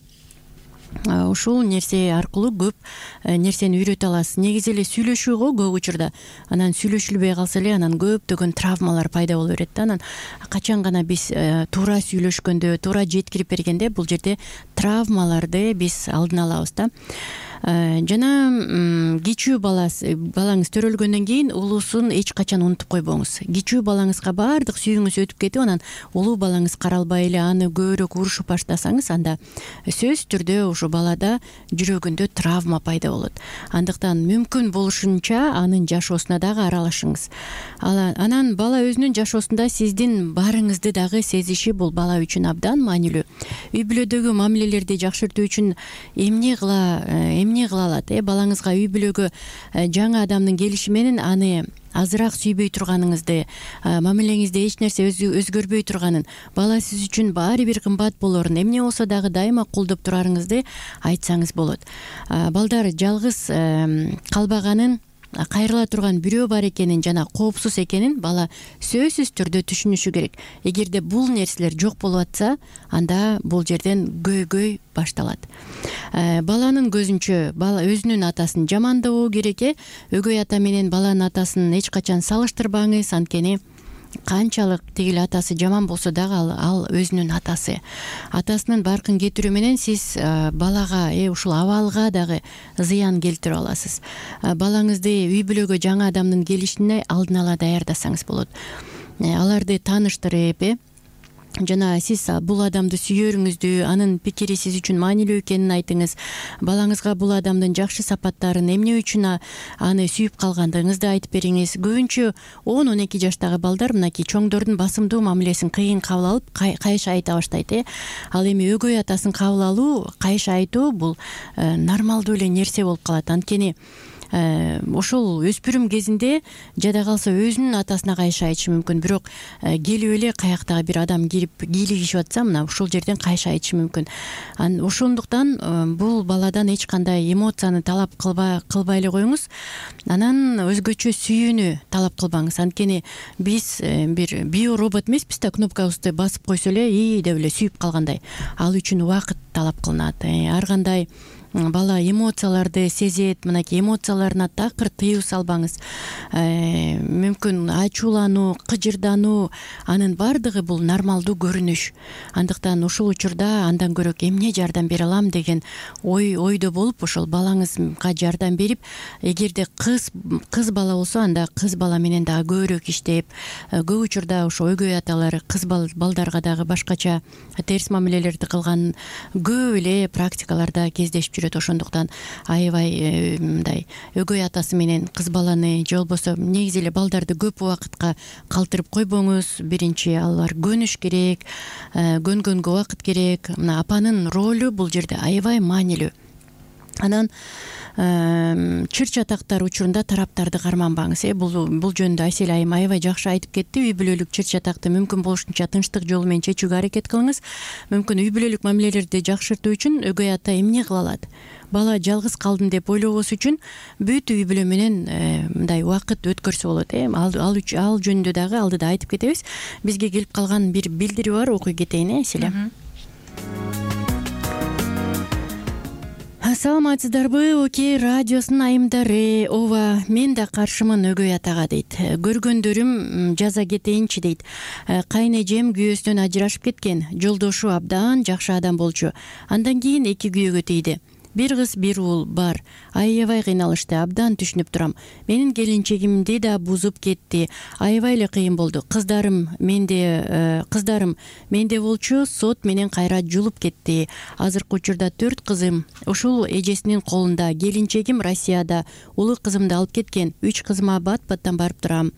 ушул нерсе аркылуу көп нерсени үйрөтө аласыз. Негизи эле сүйлөшүүгө көп учурда анан сүйлөшүлбөй калса эле анан көптөгөн травмалар пайда боло берет да. Анан качан гана биз туура сүйлөшкөндө, туура жеткирип бергенде бул жерде травмаларды биз алдын алабыз да. Жана кичүү балаңыз төрөлгөндөн кийин улуусун эч качан унутуп койбоңуз. Кичүү балаңызга баардык сүйүүңүз өтүп кетип, анан улуу балаңыз каралбай эле аны көбүрөөк урушуп баштасаңыз, анда сөзсүз түрдө ошо балада жүрөгүндө травма пайда болот. Андыктан мүмкүн болушунча анын жашоосуна дагы аралашыңыз. Анан бала өзүнүн жашоосунда сиздин барыңызды дагы сезиши бул бала үчүн абдан маанилүү. Үй бүлөдөгү мамилелерди жакшыртуу үчүн эмне кыла алат? Балаңызга үй бүлөгө жаңы адамдын келиши менен аны азыраак сүйбөй турганыңызды, мамилеңизде эч нерсе өзгөрбөй турганын, бала сиз үчүн баары бир кымбат болорун, эмне болсо дагы дайыма колдоп турарыңызды айтсаңыз болот. Балдар жалгыз калбаганын, кайрыла турган бирөө бар экенин жана коопсуз экенин бала сөзсүз түрдө түшүнүшү керек. Эгерде бул нерселер жок болуп атса, анда бул жерден көйгөй башталат. Баланын көзүнчө бала өзүнүн атасын жамандабоо керек. Өгөй ата менен баланын атасын эч качан салыштырбаңыз. Анткени канчалык тигил атасы жаман болсо дагы ал өзүнүн атасы. Атасынын баркын кетирүү менен сиз балага ушул абалга дагы зыян келтирип аласыз. Балаңызды үй бүлөгө жаңы адамдын келишине алдын ала даярдасаңыз болот. Аларды тааныштырып, жана сиз бул адамды сүйөрүңүздү, анын пикири сиз үчүн маанилүү экенин айтыңыз. Балаңызга бул адамдын жакшы сапаттарын, эмне үчүн аны сүйүп калгандыгыңызды айтып бериңиз. Көбүнчө 10-12 жаштагы балдар мынакей чоңдордун басымдуу мамилесин кыйын кабыл алып, кайша айта баштайт. Ал эми өгөй атасын кабыл алуу, кайша айтуу бул нормалдуу эле нерсе болуп калат. Анткени ошол өспүрүм кезинде жада калса өзүнүн атасына кайша айтышы мүмкүн. Бирок келип эле каяктагы бир адам кирип кийлигишип атса, мына ушул жерден кайша айтышы мүмкүн. Ошондуктан бул баладан эч кандай эмоцияны талап кылбай эле коюңуз. Анан өзгөчө сүйүүнү талап кылбаңыз. Анткени биз бир биоробот эмеспиз да, кнопкабызды басып койсо эле деп эле сүйүп калгандай. Ал үчүн убакыт талап кылынат. Ар кандай бала эмоцияларды сезет, мынакей эмоцияларына такыр тыюу салбаңыз. Мүмкүн ачуулануу, кыжырдануу, анын баардыгы бул нормалдуу көрүнүш. Андыктан ушул учурда андан көрөк эмне жардам бере алам деген ойдо болуп, ошол балаңызга жардам берип, эгерде кыз бала болсо, анда кыз бала менен дагы көбүрөөк иштеп, көп учурда ошо өгөй аталар кыз балдарга дагы башкача терс мамилелерди кылган көп эле практикаларда кездешип жүрөт. Ошондуктан аябай мындай өгөй атасы менен кыз баланы же болбосо негизи эле балдарды көп убакытка калтырып койбоңуз. Биринчи алар көнүш керек, көнгөнгө убакыт керек. Мына апанын ролу бул жерде аябай маанилүү. Анан чыр чатактар учурунда тараптарды карманбаңыз. Бул жөнүндө Асель айым аябай жакшы айтып кетти. Үй бүлөлүк чыр чатакты мүмкүн болушунча тынчтык жолу менен чечүүгө аракет кылыңыз. Мүмкүн үй бүлөлүк мамилелерди жакшыртуу үчүн өгөй ата эмне кыла алат? Бала жалгыз калдым деп ойлобос үчүн бүт үй бүлө менен мындай убакыт өткөрсө болот. Ал жөнүндө дагы алдыда айтып кетебиз. Бизге келип калган бир билдирүү бар, окуй кетейин, Асель. Саламатсыздарбы, Окей радиосунун айымдары. Ооба, мен да каршымын өгөй атага дейт. Көргөндөрүм жаза кетейинчи дейт. Кайнэжем күйөөсүнөн ажырашып кеткен. Жолдошу абдан жакшы адам болчу. Андан кийин 2 күйөөгө тийди. Бир кыз, бир уул бар. Аябай кыйналышты, абдан түшүнүп турам. Менин келинчегимди да бузуп кетти. Аябай эле кыйын болду. Кыздарым менде болчу, сот менен кайра жулуп кетти. Азыркы учурда 4 кызым ушул эжесинин колунда. Келинчегим Россияда, улуу кызымды алып кеткен. 3 кызыма бат-баттан барып турам.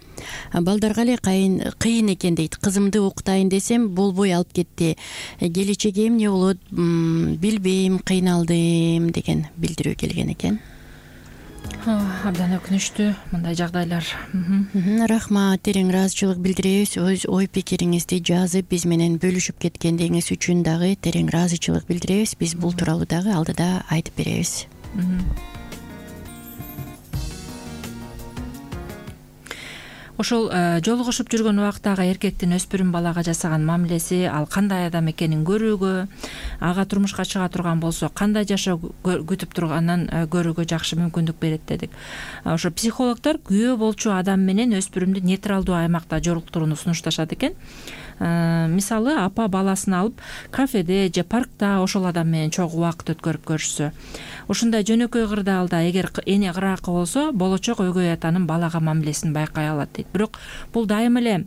Балдарга эле кыйын экен дейт. Кызымды окутайын десем, болбой алып кетти. Келечеги эмне болот билбейм, кыйналдым деген билдирүү келген экен. Абдан өкүнүчтүү мындай жагдайлар. Рахмат, терең ыраазычылык билдиребиз. Өз ой пикириңизди жазып биз менен бөлүшүп кеткендигиңиз үчүн дагы терең ыраазычылык билдиребиз. Биз бул тууралуу дагы алдыда айтып беребиз. Ошол жолугушуп жүргөн убактагы эркектин өспүрүм балага жасаган мамилеси, ал кандай адам экенин көрүүгө, ага турмушка чыга турган болсо кандай жашоо күтүп турганын көрүүгө жакшы мүмкүндүк берет дедик. Ошо психологдор күйөө болчу адам менен өспүрүмдү нейтралдуу аймакта жолуктурууну сунушташат экен. Мисалы, апа баласын алып кафеде же паркта ошол адам менен чогуу убакыт өткөрүп көрүшсө. Ушундай жөнөкөй кырдаалда эгер эне кыракы болсо, болочок өгөй атанын балага мамилесин байкай алат дейт. Бирок бул дайым эле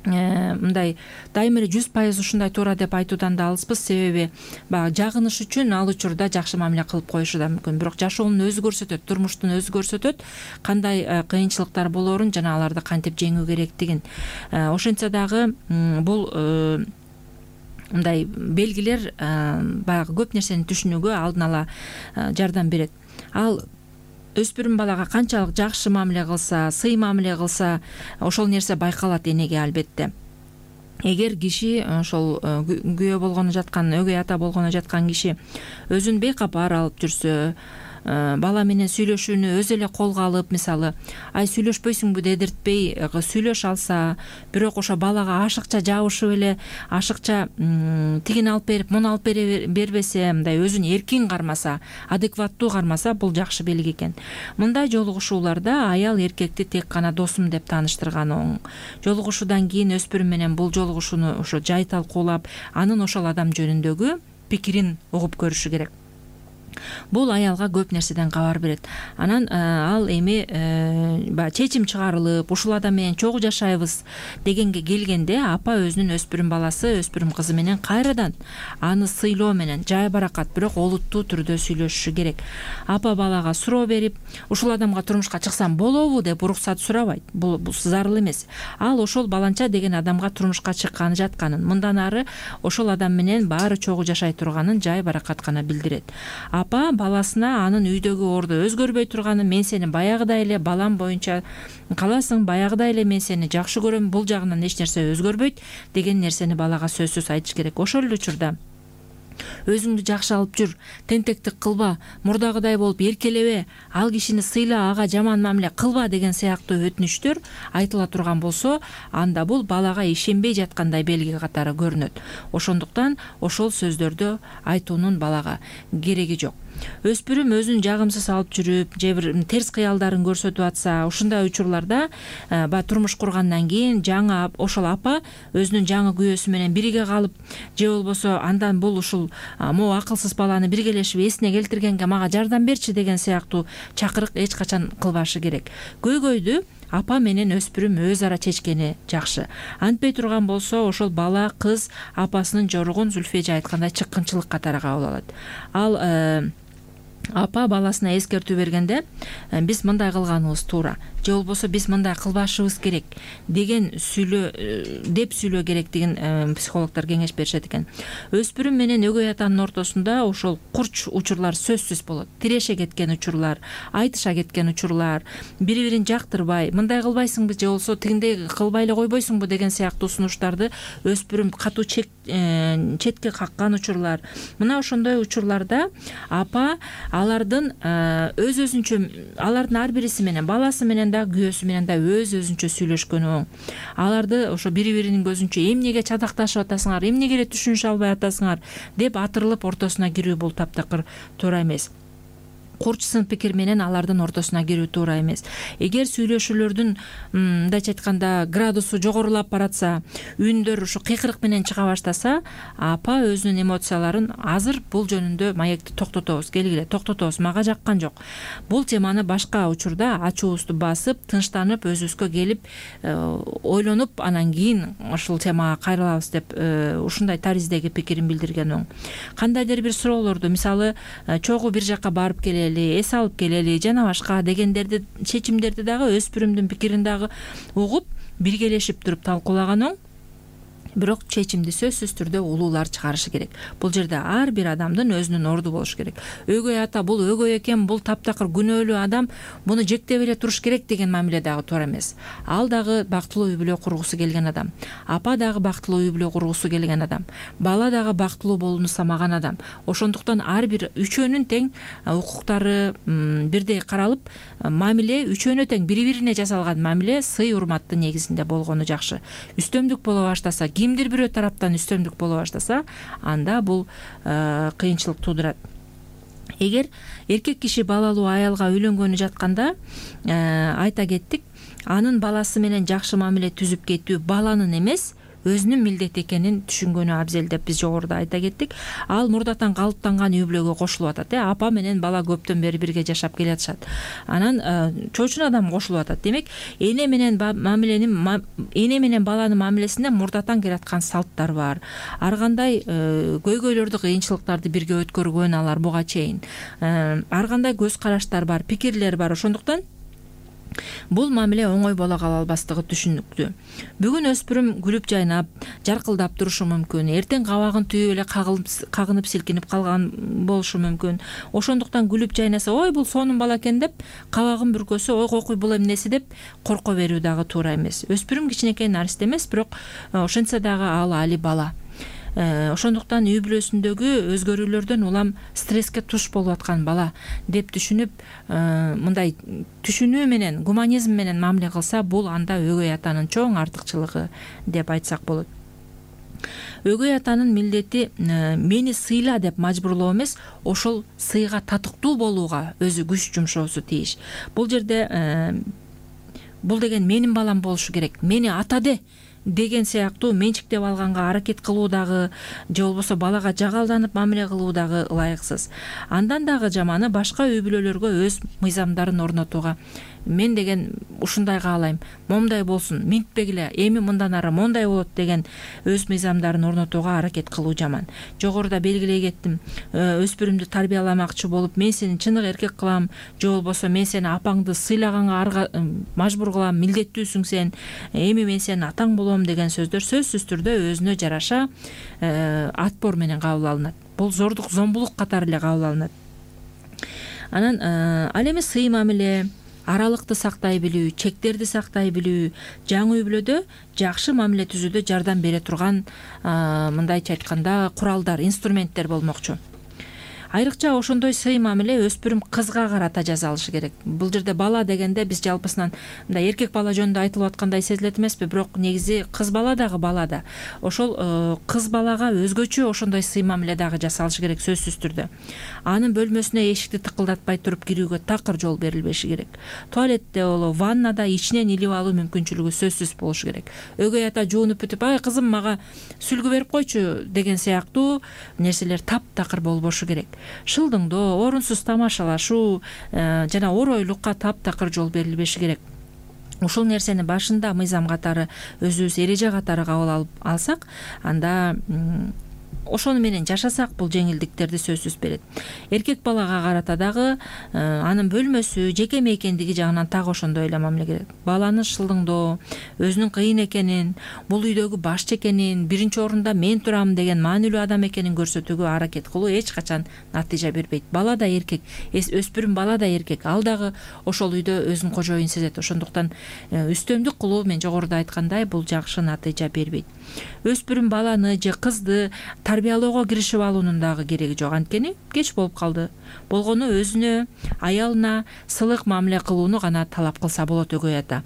100% ушундай туура деп айтуудан да алыспыз. Себеби баягы жагыныш үчүн ал учурда жакшы мамиле кылып коюшу да мүмкүн. Бирок жашоонун өзү көрсөтөт, турмуштун өзү көрсөтөт кандай кыйынчылыктар болоорун жана аларды кантип жеңүү керектигин. Ошентсе дагы бул мындай белгилер баягы көп нерсени түшүнүүгө алдын ала жардам берет. Ал өспүрүм балага канчалык жакшы мамиле кылса, сый мамиле кылса, ошол нерсе байкалат энеге албетте. Эгер киши ошол күйөө болгону жаткан, өгөй ата болгону жаткан киши өзүн бейкапар алып жүрсө, бала менен сүйлөшүүнү өзү эле колго алып, мисалы, ай сүйлөшпөйсүңбү дедиртпей сүйлөшө алса, бирок ошо балага ашыкча жабышып эле, ашыкча тигини алып берип, муну алып бербесе, мындай өзүн эркин кармаса, адекваттуу кармаса, бул жакшы белги экен. Мындай жолугушууларда аял эркекти тек гана досум деп тааныштырган оң. Жолугушуудан кийин өспүрүм менен бул жолугушууну ошо жай талкуулап, анын ошол адам жөнүндөгү пикирин угуп көрүшү керек. Бул аялга көп нерседен кабар берет. Анан ал эми чечим чыгарылып, ушул адам менен чогуу жашайбыз дегенге келгенде, апа өзүнүн өспүрүм баласы, өспүрүм кызы менен кайрадан аны сыйлоо менен жай баракат, бирок олуттуу түрдө сүйлөшүшү керек. Апа балага суроо берип, ушул адамга турмушка чыксам болобу деп уруксат сурабайт. Бул зарыл эмес. Ал ошол баланча деген адамга турмушка чыкканы жатканын, мындан ары ошол адам менен баары чогуу жашай турганын жай баракат гана билдирет. Апа баласына анын үйдөгү орду өзгөрбөй турганын, мен сени баягыдай эле балам боюнча каласың, баягыдай эле мен сени жакшы көрөм, бул жагынан эч нерсе өзгөрбөйт деген нерсени балага сөзсүз айтыш керек. Ошол эле учурда өзүңдү жакшы алып жүр, тентектик кылба, мурдагыдай болуп эркелебе, ал кишини сыйла, ага жаман мамиле кылба деген сыяктуу өтүнүчтөр айтыла турган болсо, анда бул балага ишенбей жаткандай белги катары көрүнөт. Ошондуктан ошол сөздөрдү айтуунун балага кереги жок. өспүрүм өзүн жагымсыз алып жүрүп же бир терс кыялдарын көрсөтүп атса, ушундай учурларда баягы турмуш кургандан кийин жаңы ошол апа өзүнүн жаңы күйөөсү менен бирге калып, же болбосо андан бул ушул могу акылсыз баланы биргелешип эсине келтиргенге мага жардам берчи деген сыяктуу чакырык эч качан кылбашы керек. Көйгөйдү апа менен өспүрүм өз ара чечкени жакшы. Антпей турган болсо ошол бала кыз апасынын жоругун Зүлфия эже айткандай чыккынчылык катары кабыл алат. Ал апа баласына эскертүү бергенде биз мындай кылганыбыз туура, же болбосо биз мындай кылбашыбыз керек деген деп сүйлөө керектигин психологдор кеңеш беришет экен. Өспүрүм менен өгөй атанын ортосунда ошол курч учурлар сөзсүз болот. Тиреше кеткен учурлар, айтыша кеткен учурлар, бири-бирин жактырбай, мындай кылбайсыңбы же болбосо тигиндей кылбай эле койбойсуңбу деген сыяктуу сунуштарды өспүрүм катуу четке каккан учурлар. Мына ошондой учурларда апа алардын өз-өзүнчө, алардын ар бириси менен, баласы менен да, күйөөсү менен да өз-өзүнчө сүйлөшкөнү оң. Аларды ошо бири-биринин көзүнчө эмнеге чадакташып атасыңар, эмнеге эле түшүнүшө албай атасыңар деп атырылып ортосуна кирүү бул таптакыр туура эмес. Курч сын пикир менен алардын ортосуна кирүү туура эмес. Эгер сүйлөшүүлөрдүн мындайча айтканда градусу жогорулап баратса, үндөр ушу кыйкырык менен чыга баштаса, апа өзүнүн эмоцияларын азыр бул жөнүндө маекти токтотобуз, келгиле токтотобуз, мага жаккан жок. Бул теманы башка учурда ачуубузду басып, тынчтанып, өзүбүзгө келип, ойлонуп, анан кийин ушул темага кайрылабыз деп ушундай тариздеги пикирин билдирген оң. Кандайдыр бир суроолорду, мисалы, чогуу бир жакка барып келели, эс алып келели жана башка дегендерди, чечимдерди дагы өспүрүмдүн пикирин дагы угуп, биргелешип туруп талкуулаган оң. Бирок чечимди сөзсүз түрдө улуулар чыгарышы керек. Бул жерде ар бир адамдын өзүнүн орду болушу керек. Өгөй ата бул өгөй экен, бул таптакыр күнөөлүү адам, буну жектеп эле туруш керек деген мамиле дагы туура эмес. Ал дагы бактылуу үй бүлө кургусу келген адам. Апа дагы бактылуу үй бүлө кургусу келген адам. Бала дагы бактылуу болууну самаган адам. Ошондуктан ар бир үчөөнүн тең укуктары бирдей каралып, мамиле үчөөнө тең бири-бирине жасалган мамиле сый урматтын негизинде болгону жакшы. Үстөмдүк боло баштаса, кимдир бирөө тараптан үстөмдүк боло баштаса, анда бул кыйынчылык туудурат. Эгер эркек киши балалуу аялга үйлөнгөнү жатканда айта кеттик, анын баласы менен жакшы мамиле түзүп кетүү баланын эмес, өзүнүн милдети экенин түшүнгөнү абзел деп биз жогоруда айта кеттик. Ал мурдатан калыптанган үй бүлөгө кошулуп атат. Апа менен бала көптөн бери бирге жашап келатышат. Анан чоочун адам кошулуп атат. Демек, эне менен баланын мамилесинде мурдатан келаткан салттар бар. Ар кандай көйгөйлөрдү, кыйынчылыктарды бирге өткөргөн алар буга чейин. Ар кандай көз караштар бар, пикирлер бар. Ошондуктан бул мамиле оңой боло кала албастыгы түшүнүктүү. Бүгүн өспүрүм күлүп жайнап, жаркылдап турушу мүмкүн. Эртең кабагын түйүп эле кагынып силкинип калган болушу мүмкүн. Ошондуктан күлүп жайнаса, ой бул сонун бала экен деп, кабагын бүркөсө, ой кокуй бул эмнеси деп корко берүү дагы туура эмес. Өспүрүм кичинекей нарист эмес, бирок ошентсе дагы ал али бала. Ошондуктан үй бүлөсүндөгү өзгөрүүлөрдөн улам стресске туш болуп аткан бала деп түшүнүп, мындай түшүнүү менен, гуманизм менен мамиле кылса, бул анда өгөй атанын чоң артыкчылыгы деп айтсак болот. Өгөй атанын милдети мени сыйла деп мажбурлоо эмес, ошол сыйга татыктуу болууга өзү күч жумшоосу тийиш. Бул жерде бул деген менин балам болушу керек, мени атаде деген сыяктуу менчиктеп алганга аракет кылуу дагы, же болбосо балага жагалданып мамиле кылуу дагы ылайыксыз. Андан дагы жаманы башка үй бүлөлөргө өз мыйзамдарын орнотууга, мен деген ушундай каалайм, момундай болсун, минтпегиле, эми мындан ары мондай болот деген өз мыйзамдарын орнотууга аракет кылуу жаман. Жогоруда белгилей кеттим, өспүрүмдү тарбияламакчы болуп, мен сени чыныгы эркек кылам, же болбосо мен сени апаңды сыйлаганга мажбур кылам, милдеттүүсүң сен, эми мен сенин атаң болом деген сөздөр сөзсүз түрдө өзүнө жараша атпор менен кабыл алынат. Бул зордук, зомбулук катары эле кабыл алынат. Анан ал эми сый мамиле, аралыкты сактай билүү, чектерди сактай билүү жаңы үй бүлөдө жакшы мамиле түзүүдө жардам бере турган мындайча айтканда куралдар, инструменттер болмокчу. Айрыкча ошондой сый мамиле өспүрүм кызга карата жасалышы керек. Бул жерде бала дегенде биз жалпысынан мындай эркек бала жөнүндө айтылып аткандай сезилет эмеспи, бирок негизи кыз бала дагы бала да. Ошол кыз балага өзгөчө ошондой сый мамиле дагы жасалышы керек сөзсүз түрдө. Анын бөлмөсүнө эшикти тыкылдатпай туруп кирүүгө такыр жол берилбеши керек. Туалетте болобу, ваннада ичинен илип алуу мүмкүнчүлүгү сөзсүз болушу керек. Өгөй ата жуунуп бүтүп, ай кызым мага сүлгү берип койчу деген сыяктуу нерселер таптакыр болбошу керек. Шылдыңдоо, орунсуз тамашалашуу жана оройлукка таптакыр жол берилбеши керек. Ушул нерсени башында мыйзам катары, өзүбүз эреже катары кабыл алсак, анда ошону менен жашасак бул жеңилдиктерди сөзсүз берет. Эркек балага карата дагы анын бөлмөсү, жеке мейкендиги жагынан так ошондой эле мамиле керек. Баланы шылдыңдоо, өзүнүн кыйын экенин, бул үйдөгү башчы экенин, биринчи орунда мен турам деген маанилүү адам экенин көрсөтүүгө аракет кылуу эч качан натыйжа бербейт. Бала да эркек, өспүрүм бала да эркек, ал дагы ошол үйдө өзүн кожоюн сезет. Ошондуктан үстөмдүк кылуу, мен жогоруда айткандай, бул жакшы натыйжа бербейт. Өспүрүм баланы же кызды тарбиялоого киришип алуунун дагы кереги жок. Анткени кеч болуп калды. Болгону өзүнө, аялына сылык мамиле кылууну гана талап кылса болот өгөй ата.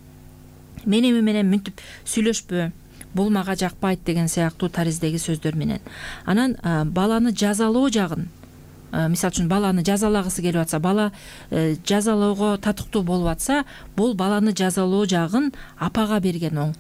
Менин менен мүнтүп сүйлөшпө, бул мага жакпайт деген сыяктуу тариздеги сөздөр менен. Анан баланы жазалоо жагын, мисалы үчүн баланы жазалагысы келип атса, бала жазалоого татыктуу болуп атса, бул баланы жазалоо жагын апага берген оң.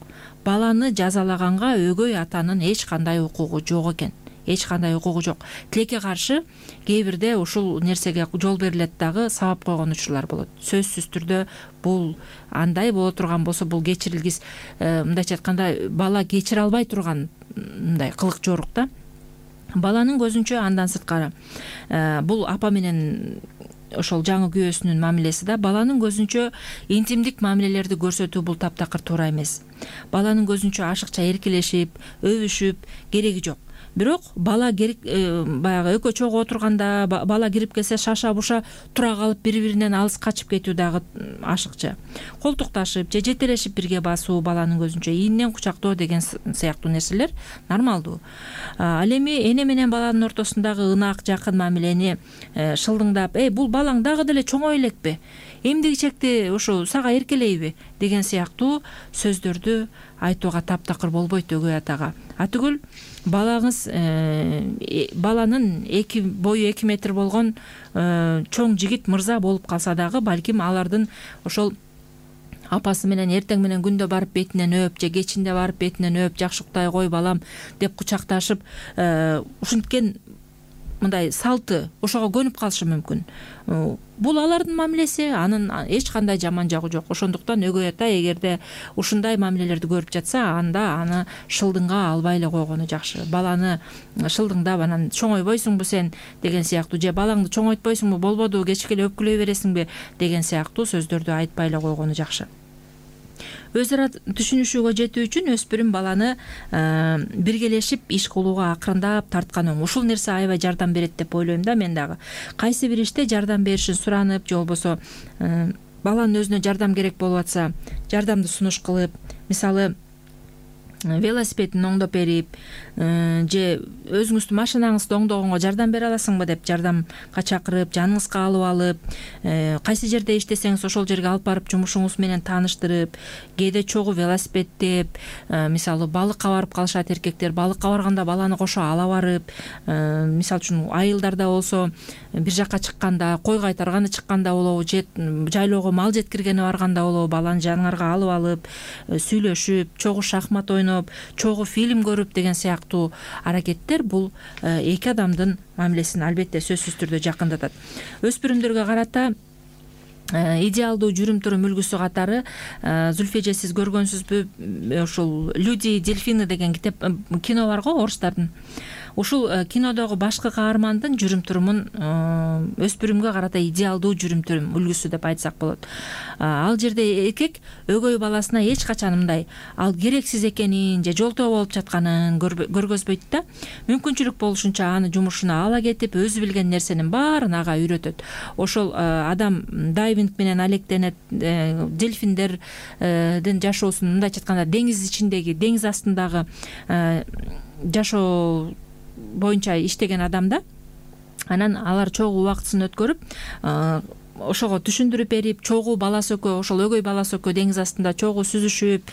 Баланы жазалаганга өгөй атанын эч кандай укугу жок экен. Эч кандай укугу жок. Тилекке каршы кээ бирде ушул нерсеге жол берилет дагы сабап койгон учурлар болот. Сөзсүз түрдө бул андай боло турган болсо, бул кечирилгис, мындайча айтканда, бала кечире албай турган мындай кылык жорук да. Баланын көзүнчө андан сырткары бул апа менен ошол жаңы күйөөсүнүн мамилеси да, баланын көзүнчө интимдик мамилелерди көрсөтүү бул таптакыр туура эмес. Баланын көзүнчө ашыкча эркелешип, өбүшүп кереги жок. Бирок бала баягы экөө чогуу отурганда, бала кирип келсе шаша буша тура калып бири-биринен алыс качып кетүү дагы ашыкча. Колтукташып же жетелешип бирге басуу баланын көзүнчө, ийинен кучактоо деген сыяктуу нерселер нормалдуу. Ал эми эне менен баланын ортосундагы ынак, жакын мамилени шылдыңдап, бул балаң дагы деле чоңой элекпи? Эмдигичекти ушу сага эркелейби деген сыяктуу сөздөрдү айтууга таптакыр болбойт өгөй атага. Атүгүл балаңыз баланын бою 2 метр болгон чоң жигит мырза болуп калса дагы, балким алардын ошол апасы менен эртең менен күндө барып бетинен өп же кечинде барып бетинен өп, жакшы уктай кой балам деп кучакташып, ушинткен мындай салты ошого көнүп калышы мүмкүн. Бул алардын мамилеси, анын эч кандай жаман жагы жок. Ошондуктан өгөй ата эгерде ушундай мамилелерди көрүп жатса, анда аны шылдыңга албай эле койгону жакшы. Баланы шылдыңдап, анан чоңойбойсуңбу сен деген сыяктуу, же балаңды чоңойтпойсуңбу, болбоду, кечке эле өпкүлөй бересиңби деген сыяктуу сөздөрдү айтпай эле койгону жакшы. Өз ара түшүнүшүүгө жетүү үчүн өспүрүм баланы биргелешип иш кылууга акырындап тарткан оң. Ушул нерсе аябай жардам берет деп ойлойм да мен дагы. Кайсы бир иште жардам беришин суранып, же болбосо баланын өзүнө жардам керек болуп атса, жардамды сунуш кылып, мисалы велосипедин оңдоп берип, же өзүңүздүн машинаңызды оңдогонго жардам бере аласыңбы деп жардамга чакырып, жаныңызга алып алып, кайсы жерде иштесеңиз ошол жерге алып барып жумушуңуз менен тааныштырып, кээде чогуу велосипедтеп, мисалы балыкка барып калышат эркектер, балыкка барганда баланы кошо ала барып, мисалы үчүн айылдарда болсо бир жакка чыкканда, кой кайтарганы чыкканда болобу, же жайлоого мал жеткиргени барганда болобу, баланы жаныңарга алып алып, сүйлөшүп, чогуу шахмат ойноп, чогуу фильм көрүп деген сыяктуу аракеттер бул эки адамдын мамилесин албетте сөзсүз түрдө жакындатат. Өспүрүмдөргө карата идеалдуу жүрүм-турум үлгүсү катары Зүлфия эже, сиз көргөнсүзбү, ушул «Люди и дельфины» деген кино бар го, орустардын. Ушул кинодогу башкы каармандын жүрүм-турумун өспүрүмгө карата идеалдуу жүрүм-турум үлгүсү деп айтсак болот. Ал жерде эркек өгөй баласына эч качан мындай ал керексиз экенин же жолтоо болуп жатканын көргөзбөйт да. Мүмкүнчүлүк болушунча аны жумушуна ала кетип, өзү билген нерсенин баарын ага үйрөтөт. Ошол адам дайвинг менен алектенет, дельфиндердин жашоосун, мындайча айтканда, деңиз ичиндеги, деңиз астындагы жашоо боюнча иштеген адамда анан алар чогуу убактысын өткөрүп ошого түшүндүрүп берип, чогуу баласы экөө, ошол өгөй баласы экөө деңиз астында чогуу сүзүшүп,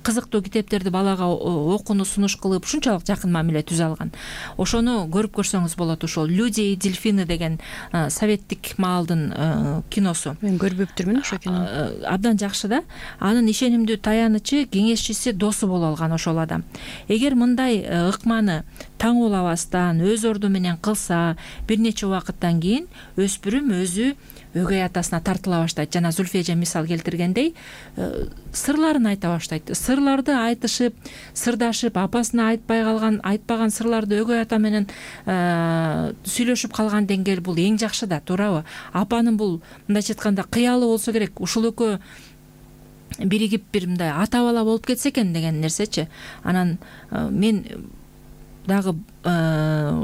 кызыктуу китептерди балага окууну сунуш кылып, ушунчалык жакын мамиле түзө алган. Ошону көрүп көрсөңүз болот. Ошол «Люди и дельфины» деген советтик маалдын киносу. Мен көрбөптүрмүн ошо кинону. Абдан жакшы да. Анын ишенимдүү таянычы, кеңешчиси, досу боло алган ошол адам. Эгер мындай ыкманы таңуулабастан, өз орду менен кылса, бир нече убакыттан кийин өспүрүм өзү өгөй атасына тартыла баштайт. Жана Зульфия эже мисал келтиргендей, сырларын айта баштайт. Сырларды айтышып, сырдашып, апасына айтпаган сырларды өгөй ата менен сүйлөшүп калган деңгээл бул эң жакшы да, туурабы? Апанын бул мындайча айтканда кыялы болсо керек. Ушул экөө биригип бир мындай ата бала болуп кетсе экен деген нерсечи. Анан мен дагы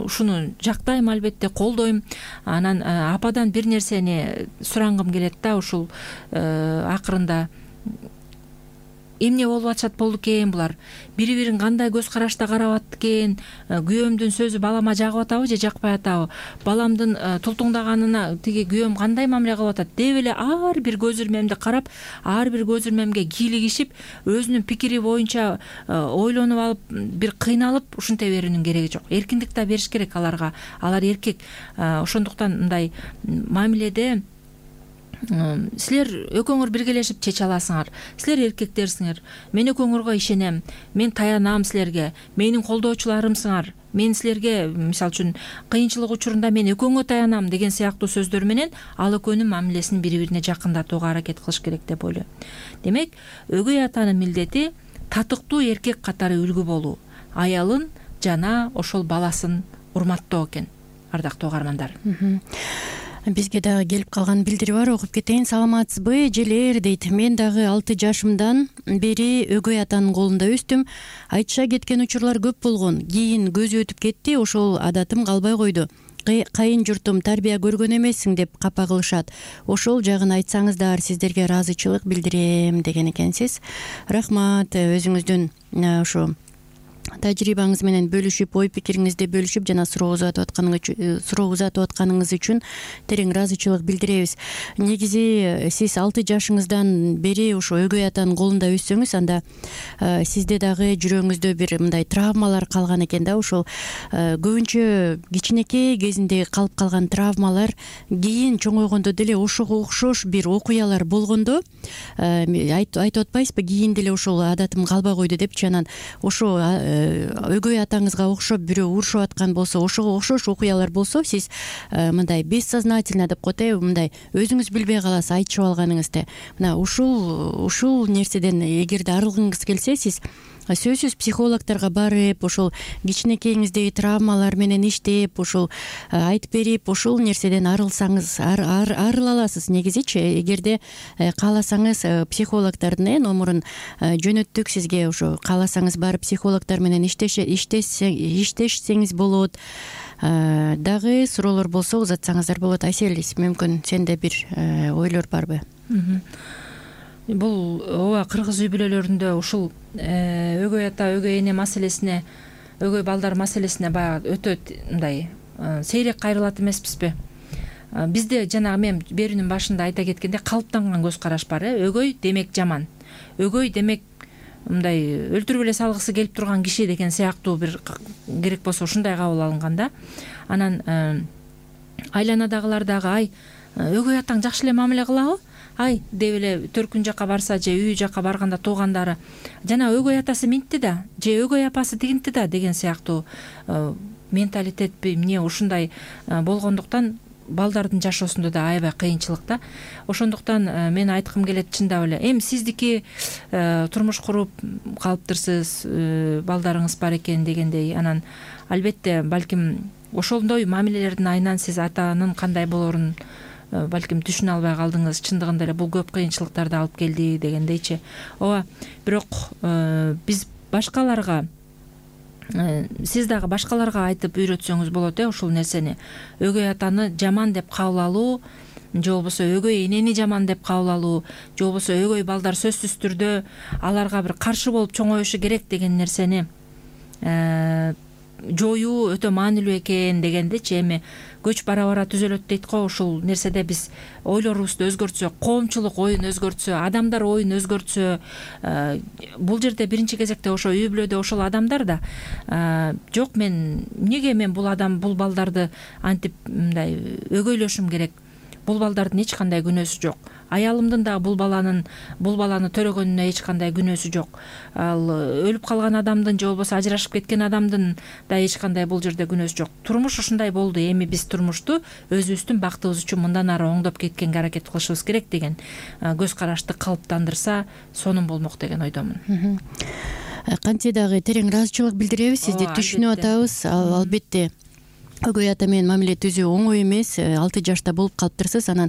ушуну жактайм, албетте колдойм. Анан ападан бир нерсени сурангым келет да, ушул акырында эмне болуп атышат болду экен булар, бири-бирин кандай көз карашта карап атты экен, күйөөмдүн сөзү балама жагып атабы же жакпай атабы, баламдын тултуңдаганына тиги күйөөм кандай мамиле кылып атат деп эле ар бир көз ирмемди карап, ар бир көз ирмемге кийлигишип, өзүнүн пикири боюнча ойлонуп алып, бир кыйналып ушинте берүүнүн кереги жок. Эркиндик да бериш керек аларга. Алар эркек. Ошондуктан мындай мамиледе силер экөөңөр биргелешип чече аласыңар. Силер эркектерсиңер. Мен экөөңөргө ишенем. Мен таянам силерге. Менин колдоочуларымсыңар. Мен силерге, мисалы үчүн, кыйынчылык учурунда мен экөөңө таянам деген сыяктуу сөздөр менен ал экөөнүн мамилесин бири-бирине жакындатууга аракет кылыш керек деп ойлойм. Демек, өгөй атанын милдети татыктуу эркек катары үлгү болуу, аялын жана ошол баласын урматтоо экен, ардактуу угармандар. Бизге дагы келип калган билдирүү бар, окуп кетейин. Саламатсызбы, желер дейт. Мен дагы 6 жашымдан бери өгөй атанын колунда өстүм. Айтыша кеткен учурлар көп болгон. Кийин көзү өтүп кетти, ошол адатым калбай койду. Кайын журтум тарбия көргөн эмессиң деп капа кылышат. Ошол жагын айтсаңыздар, сиздерге ыраазычылык билдирем деген экенсиз. Рахмат, өзүңүздүн ошо тажрыйбаңыз менен бөлүшүп, ой пикириңизди бөлүшүп жана суроо узатып атканыңыз үчүн терең ыраазычылык билдиребиз. Негизи сиз 6 жашыңыздан бери ошо өгөй атанын колунда өссөңүз, анда сизде дагы жүрөгүңүздө бир мындай травмалар калган экен да. Ошол көбүнчө кичинекей кезинде калып калган травмалар кийин чоңойгондо деле ошого окшош бир окуялар болгондо айтып атпайсызбы, кийин деле ошол адатым калбай койду депчи. Анан ошо өгөй атаңызга окшоп бирөө урушуп аткан болсо, ошого окшош окуялар болсо, сиз мындай бессознательно деп коет, мындай өзүңүз билбей каласыз айтышып алганыңызды. Мына ушул нерседен эгерде арылгыңыз келсе, сиз сөзсүз психологторго барып, ошол кичинекейиңиздеги травмалар менен иштеп, ошол айтып берип, ошол нерседен арылсаңыз, арыла аласыз. Негизичи, эгерде кааласаңыз, психологтордун номурун жөнөттүк сизге. Ошо кааласаңыз барып психологтор менен иштешсеңиз болот. Дагы суроолор болсо узатсаңыздар болот. Айсель, мүмкүн сенде бир ойлор барбы? Бул ооба кыргыз үй бүлөлөрүндө ушул өгөй ата, өгөй эне маселесине, өгөй балдар маселесине баягы өтө мындай сейрек кайрылат эмеспизби? Бизде жанагы мен берүүнүн башында айта кеткенде калыптанган көз караш бар. Өгөй демек жаман. Өгөй демек мындай өлтүрүп эле салгысы келип турган киши деген сыяктуу бир керек болсо ушундай кабыл алынган да. Анан айланадагылар дагы өгөй атаң жакшы эле мамиле кылабы? Деп эле төркүн жака барса же үй жака барганда туугандары жана өгөй атасы минтти да, же өгөй апасы тигинти да деген сыяктуу менталитетпи эмне ушундай болгондуктан балдардын жашоосунда да аябай кыйынчылык да. Ошондуктан мен айткым келет, чындап эле эми сиздики турмуш куруп калыптырсыз, балдарыңыз бар экен дегендей. Анан албетте балким ошондой мамилелердин айынан сиз атанын кандай болорун балким түшүнө албай калдыңыз. Чындыгында эле бул көп кыйынчылыктарды алып келди дегендейчи. Ооба, бирок биз башкаларга, сиз дагы башкаларга айтып үйрөтсөңүз болот ушул нерсени. Өгөй атаны жаман деп кабыл алуу, же болбосо өгөй энени жаман деп кабыл алуу, же болбосо өгөй балдар сөзсүз түрдө аларга бир каршы болуп чоңоюшу керек деген нерсени жоюу өтө маанилүү экен дегендичи. Эми көч бара бара түзөлөт дейт го. Ушул нерседе биз ойлорубузду өзгөртсөк, коомчулук оюн өзгөртсө, адамдар оюн өзгөртсө, бул жерде биринчи кезекте ошо үй бүлөдө ошол адамдар да жок, эмнеге мен бул балдарды антип мындай өгөйлөшүм керек, бул балдардын эч кандай күнөөсү жок, аялымдын дагы бул баланы төрөгөнүнө эч кандай күнөөсү жок, ал өлүп калган адамдын же болбосо ажырашып кеткен адамдын да эч кандай бул жерде күнөөсү жок. Турмуш ушундай болду, эми биз турмушту өзүбүздүн бактыбыз үчүн мындан ары оңдоп кеткенге аракет кылышыбыз керек деген көз карашты калыптандырса сонун болмок деген ойдомун. Кантсе дагы терең ыраазычылык билдиребиз, сизди түшүнүп атабыз. Албетте өгөй ата менен мамиле түзүү оңой эмес. 6 жашта болуп калыптырсыз, анан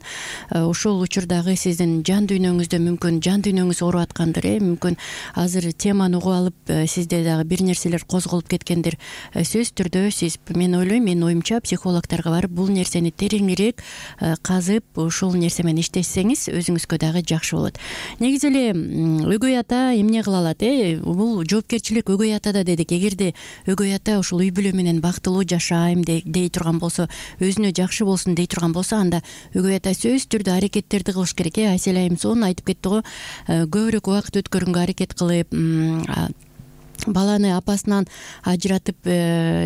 ошол учурдагы сиздин жан дүйнөңүздө мүмкүн жан дүйнөңүз ооруп аткандыр, мүмкүн азыр теманы угуп алып сизде дагы бир нерселер козголуп кеткендир. Сөзсүз түрдө сиз, мен ойлойм, менин оюмча, психологдорго барып бул нерсени тереңирээк казып, ушул нерсе менен иштесеңиз өзүңүзгө дагы жакшы болот. Негизи эле өгөй ата эмне кыла алат? Бул жоопкерчилик өгөй атада дедик. Эгерде өгөй ата ушул үй бүлө менен бактылуу жашайм дей турган болсо, өзүнө жакшы болсун дей турган болсо, анда өгөй ата сөзсүз түрдө аракеттерди кылыш керек. Айсел айым сонун айтып кетти го, көбүрөөк убакыт өткөргөнгө аракет кылып, баланы апасынан ажыратып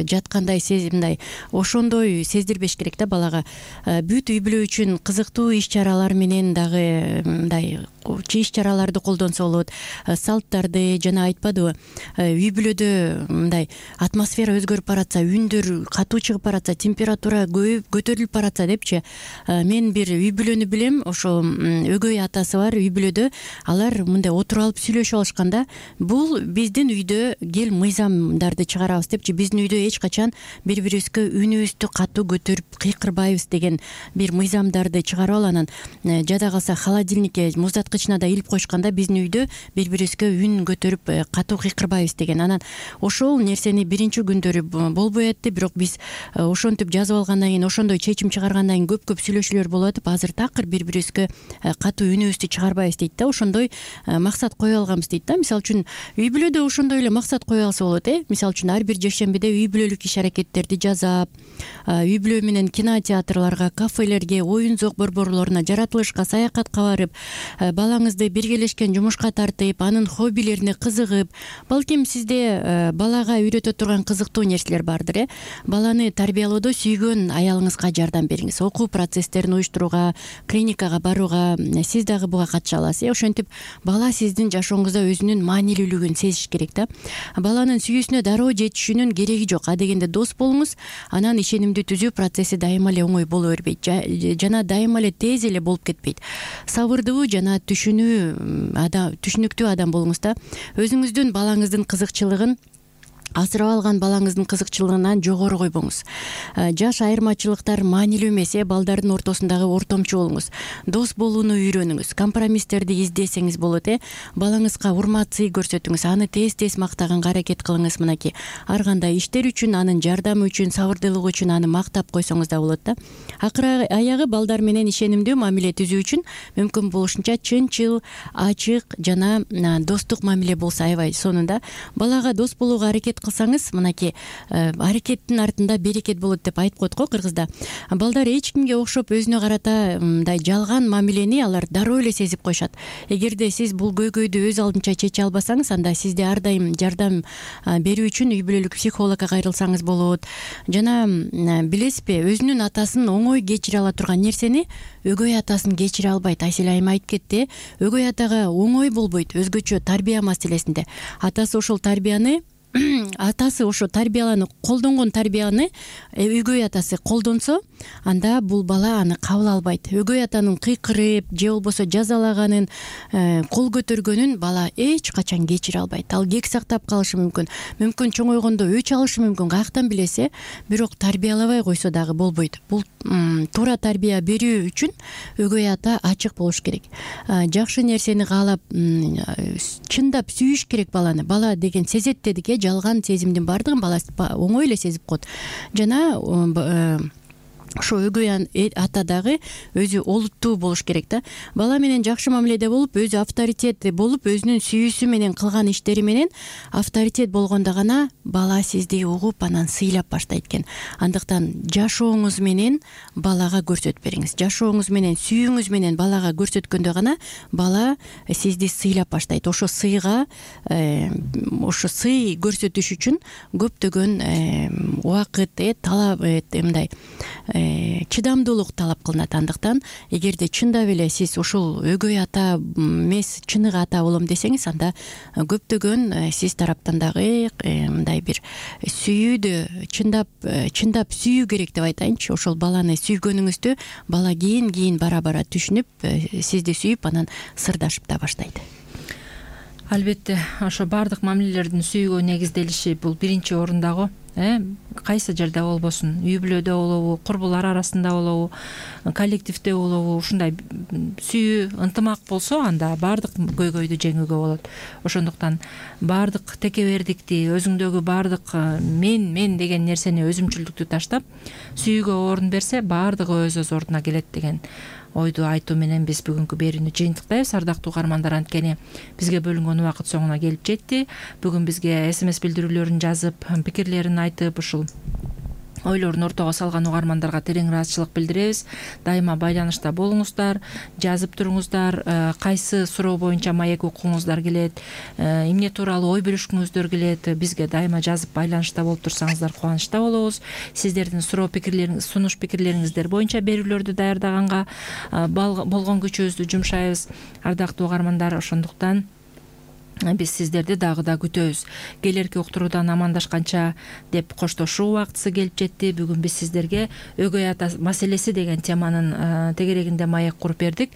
жаткандай мындай ошондой сездирбеш керек да балага. Бүт үй бүлө үчүн кызыктуу иш-чаралар менен дагы мындай иш-чараларды колдонсо болот. Салттарды жана айтпадыбы, үй бүлөдө мындай атмосфера өзгөрүп баратса, үндөр катуу чыгып баратса, температура көтөрүлүп баратса депчи. Мен бир үй бүлөнү билем, ошо өгөй атасы бар үй бүлөдө. Алар мындай отуруп алып сүйлөшүп алышканда, бул биздин үйдө кел мыйзамдарды чыгарабыз депчи, биздин үйдө эч качан бири-бирибизге үнүбүздү катуу көтөрүп кыйкырбайбыз деген бир мыйзамдарды чыгарып ал. Анан жада калса холодильникке, муздаткычына да илип койшканда, биздин үйдө бири-бирибизге үн көтөрүп катуу кыйкырбайбыз деген. Анан ошол нерсени биринчи күндөрү болбой атты, бирок биз ошентип жазып алгандан кийин, ошондой чечим чыгаргандан кийин көп сүйлөшүүлөр болуп атып, азыр такыр бири-бирибизге катуу үнүбүздү чыгарбайбыз дейт да. Ошондой максат кое алганбыз дейт да. Мисалы үчүн үй бүлөдө ошондой эле максат кое алса болот. Мисалы үчүн ар бир жекшембиде үй бүлөлүк иш аракеттерди жасап, үй бүлө менен кинотеатрларга, кафелерге, оюн зок борборлоруна, жаратылышка, саякатка барып, балаңызды биргелешкен жумушка тартып, анын хоббилерине кызыгып, балким сизде балага үйрөтө турган кызыктуу нерселер бардыр. Баланы тарбиялоодо сүйгөн аялыңызга жардам бериңиз. Окуу процесстерин уюштурууга, клиникага барууга сиз дагы буга катыша аласыз. Ошентип бала сиздин жашооңузда өзүнүн маанилүүлүгүн сезиш керек да. Баланын сүйүүсүнө дароо жетишүүнүн кереги жок. Дегенде дос болуңуз, анан ишенимди түзүү процесси дайыма эле оңой боло бербейт, жана дайыма эле тез эле болуп кетпейт. Сабырдуу жана түшүнүктүү адам болуңуз да. Өзүңүздүн балаңыздын кызыкчылыгын, асырап алган балаңыздын кызыкчылыгынан жогору койбоңуз. Жаш айырмачылыктар маанилүү эмес. Балдардын ортосундагы ортомчу болуңуз. Дос болууну үйрөнүңүз. Компромисстерди издесеңиз болот. Балаңызга урмат, сый көрсөтүңүз. Аны тез-тез мактаганга аракет кылыңыз. Мынакей ар кандай иштер үчүн, анын жардамы үчүн, сабырдуулугу үчүн аны мактап койсоңуз да болот да. Акыры аягы балдар менен ишенимдүү мамиле түзүү үчүн мүмкүн болушунча чынчыл, ачык жана достук мамиле болсо аябай сонун да. Балага дос болууга аракет кылсаңыз, мынакей аракеттин артында берекет болот деп айтып коет го кыргызда. Балдар эч кимге окшоп өзүнө карата мындай жалган мамилени алар дароо эле сезип коюшат. Эгерде сиз бул көйгөйдү өз алдынча чече албасаңыз, анда сизде ар дайым жардам берүү үчүн үй бүлөлүк психологко кайрылсаңыз болот. Жана билесизби, өзүнүн атасын оңой кечире ала турган нерсени өгөй атасын кечире албайт. Айсел айым айтып кетти, өгөй атага оңой болбойт, өзгөчө тарбия маселесинде. Атасы ошо тарбияланы колдонгон тарбияны өгөй атасы колдонсо, анда бул бала аны кабыл албайт. Өгөй атанын кыйкырып же болбосо жазалаганын, кол көтөргөнүн бала эч качан кечире албайт. Ал кек сактап калышы мүмкүн, чоңойгондо өч алышы мүмкүн, каяктан билесе, бирок тарбиялабай койсо дагы болбойт. Бул туура тарбия берүү үчүн өгөй ата ачык болуш керек. Жакшы нерсени каалап, чындап сүйүш керек баланы. Бала деген сезет дедик, жалган сезимдин баардыгын бала оңой эле сезип коет. Жана ошо өгөй ата дагы өзү олуттуу болуш керек да. Бала менен жакшы мамиледе болуп, өзү авторитет болуп, өзүнүн сүйүүсү менен кылган иштери менен авторитет болгондо гана бала сизди угуп, анан сыйлап баштайт экен. Андыктан жашооңуз менен балага көрсөтүп бериңиз. Жашооңуз менен, сүйүүңүз менен балага көрсөткөндө гана бала сизди сыйлап баштайт. Ошо сый көрсөтүш үчүн көптөгөн убакыт, талап, мындай чыдамдуулук талап кылынат. Андыктан эгерде чындап эле сиз ушул өгөй ата эмес, чыныгы ата болом десеңиз, анда көптөгөн сиз тараптан дагы мындай бир сүйүүдө чындап сүйүү керек деп айтайынчы. Ошол баланы сүйгөнүңүздү бала кийин бара түшүнүп, сизди сүйүп, анан сырдашып да баштайт. Албетте, ошо баардык мамилелердин сүйүүгө негизделиши бул биринчи орундагы. Кайсы жерде болбосун, үй бүлөдө болобу, курбулар арасында болобу, коллективде болобу, ушундай сүйүү, ынтымак болсо, анда баардык көйгөйдү жеңүүгө болот. Ошондуктан баардык текебердикти, өзүңдөгү баардык мен деген нерсени, өзүмчүлдүктү таштап, сүйүүгө орун берсе, баардыгы өз ордуна келет деген ойду айтуу менен биз бүгүнкү берүүнү жыйынтыктайбыз. Ардактуу угармандар, анткени бизге бөлүнгөн убакыт соңуна келип жетти. Бүгүн бизге СМС билдирүүлөрүн жазып, пикирлерин айтып, ушул ойлорун ортого салган угармандарга терең ыраазычылык билдиребиз. Дайыма байланышта болуңуздар, жазып туруңуздар, кайсы суроо боюнча маек укуңуздар келет, эмне тууралуу ой бөлүшкүңүздөр келет, бизге дайыма жазып байланышта болуп турсаңыздар кубанычта болобуз. Сиздердин суроо пикирлериңиз, сунуш пикирлериңиздер боюнча берүүлөрдү даярдаганга болгон күчүбүздү жумшайбыз. Ардактуу угармандар, ошондуктан биз сиздерди дагы да күтөбүз. Келерки уктуруудан амандашканча деп коштошуу убактысы келип жетти. Бүгүн биз сиздерге өгөй ата маселеси деген теманын тегерегинде маек куруп бердик.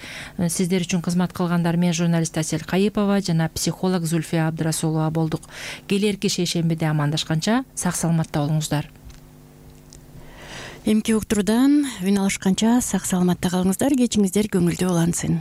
Сиздер үчүн кызмат кылгандар мен журналист Асель Кайыпова жана психолог Зульфия Абдрасулова болдук. Келерки шейшембиде амандашканча сак саламатта болуңуздар. Эмки уктуруудан үн алышканча сак саламатта калыңыздар. Кечиңиздер көңүлдүү улансын.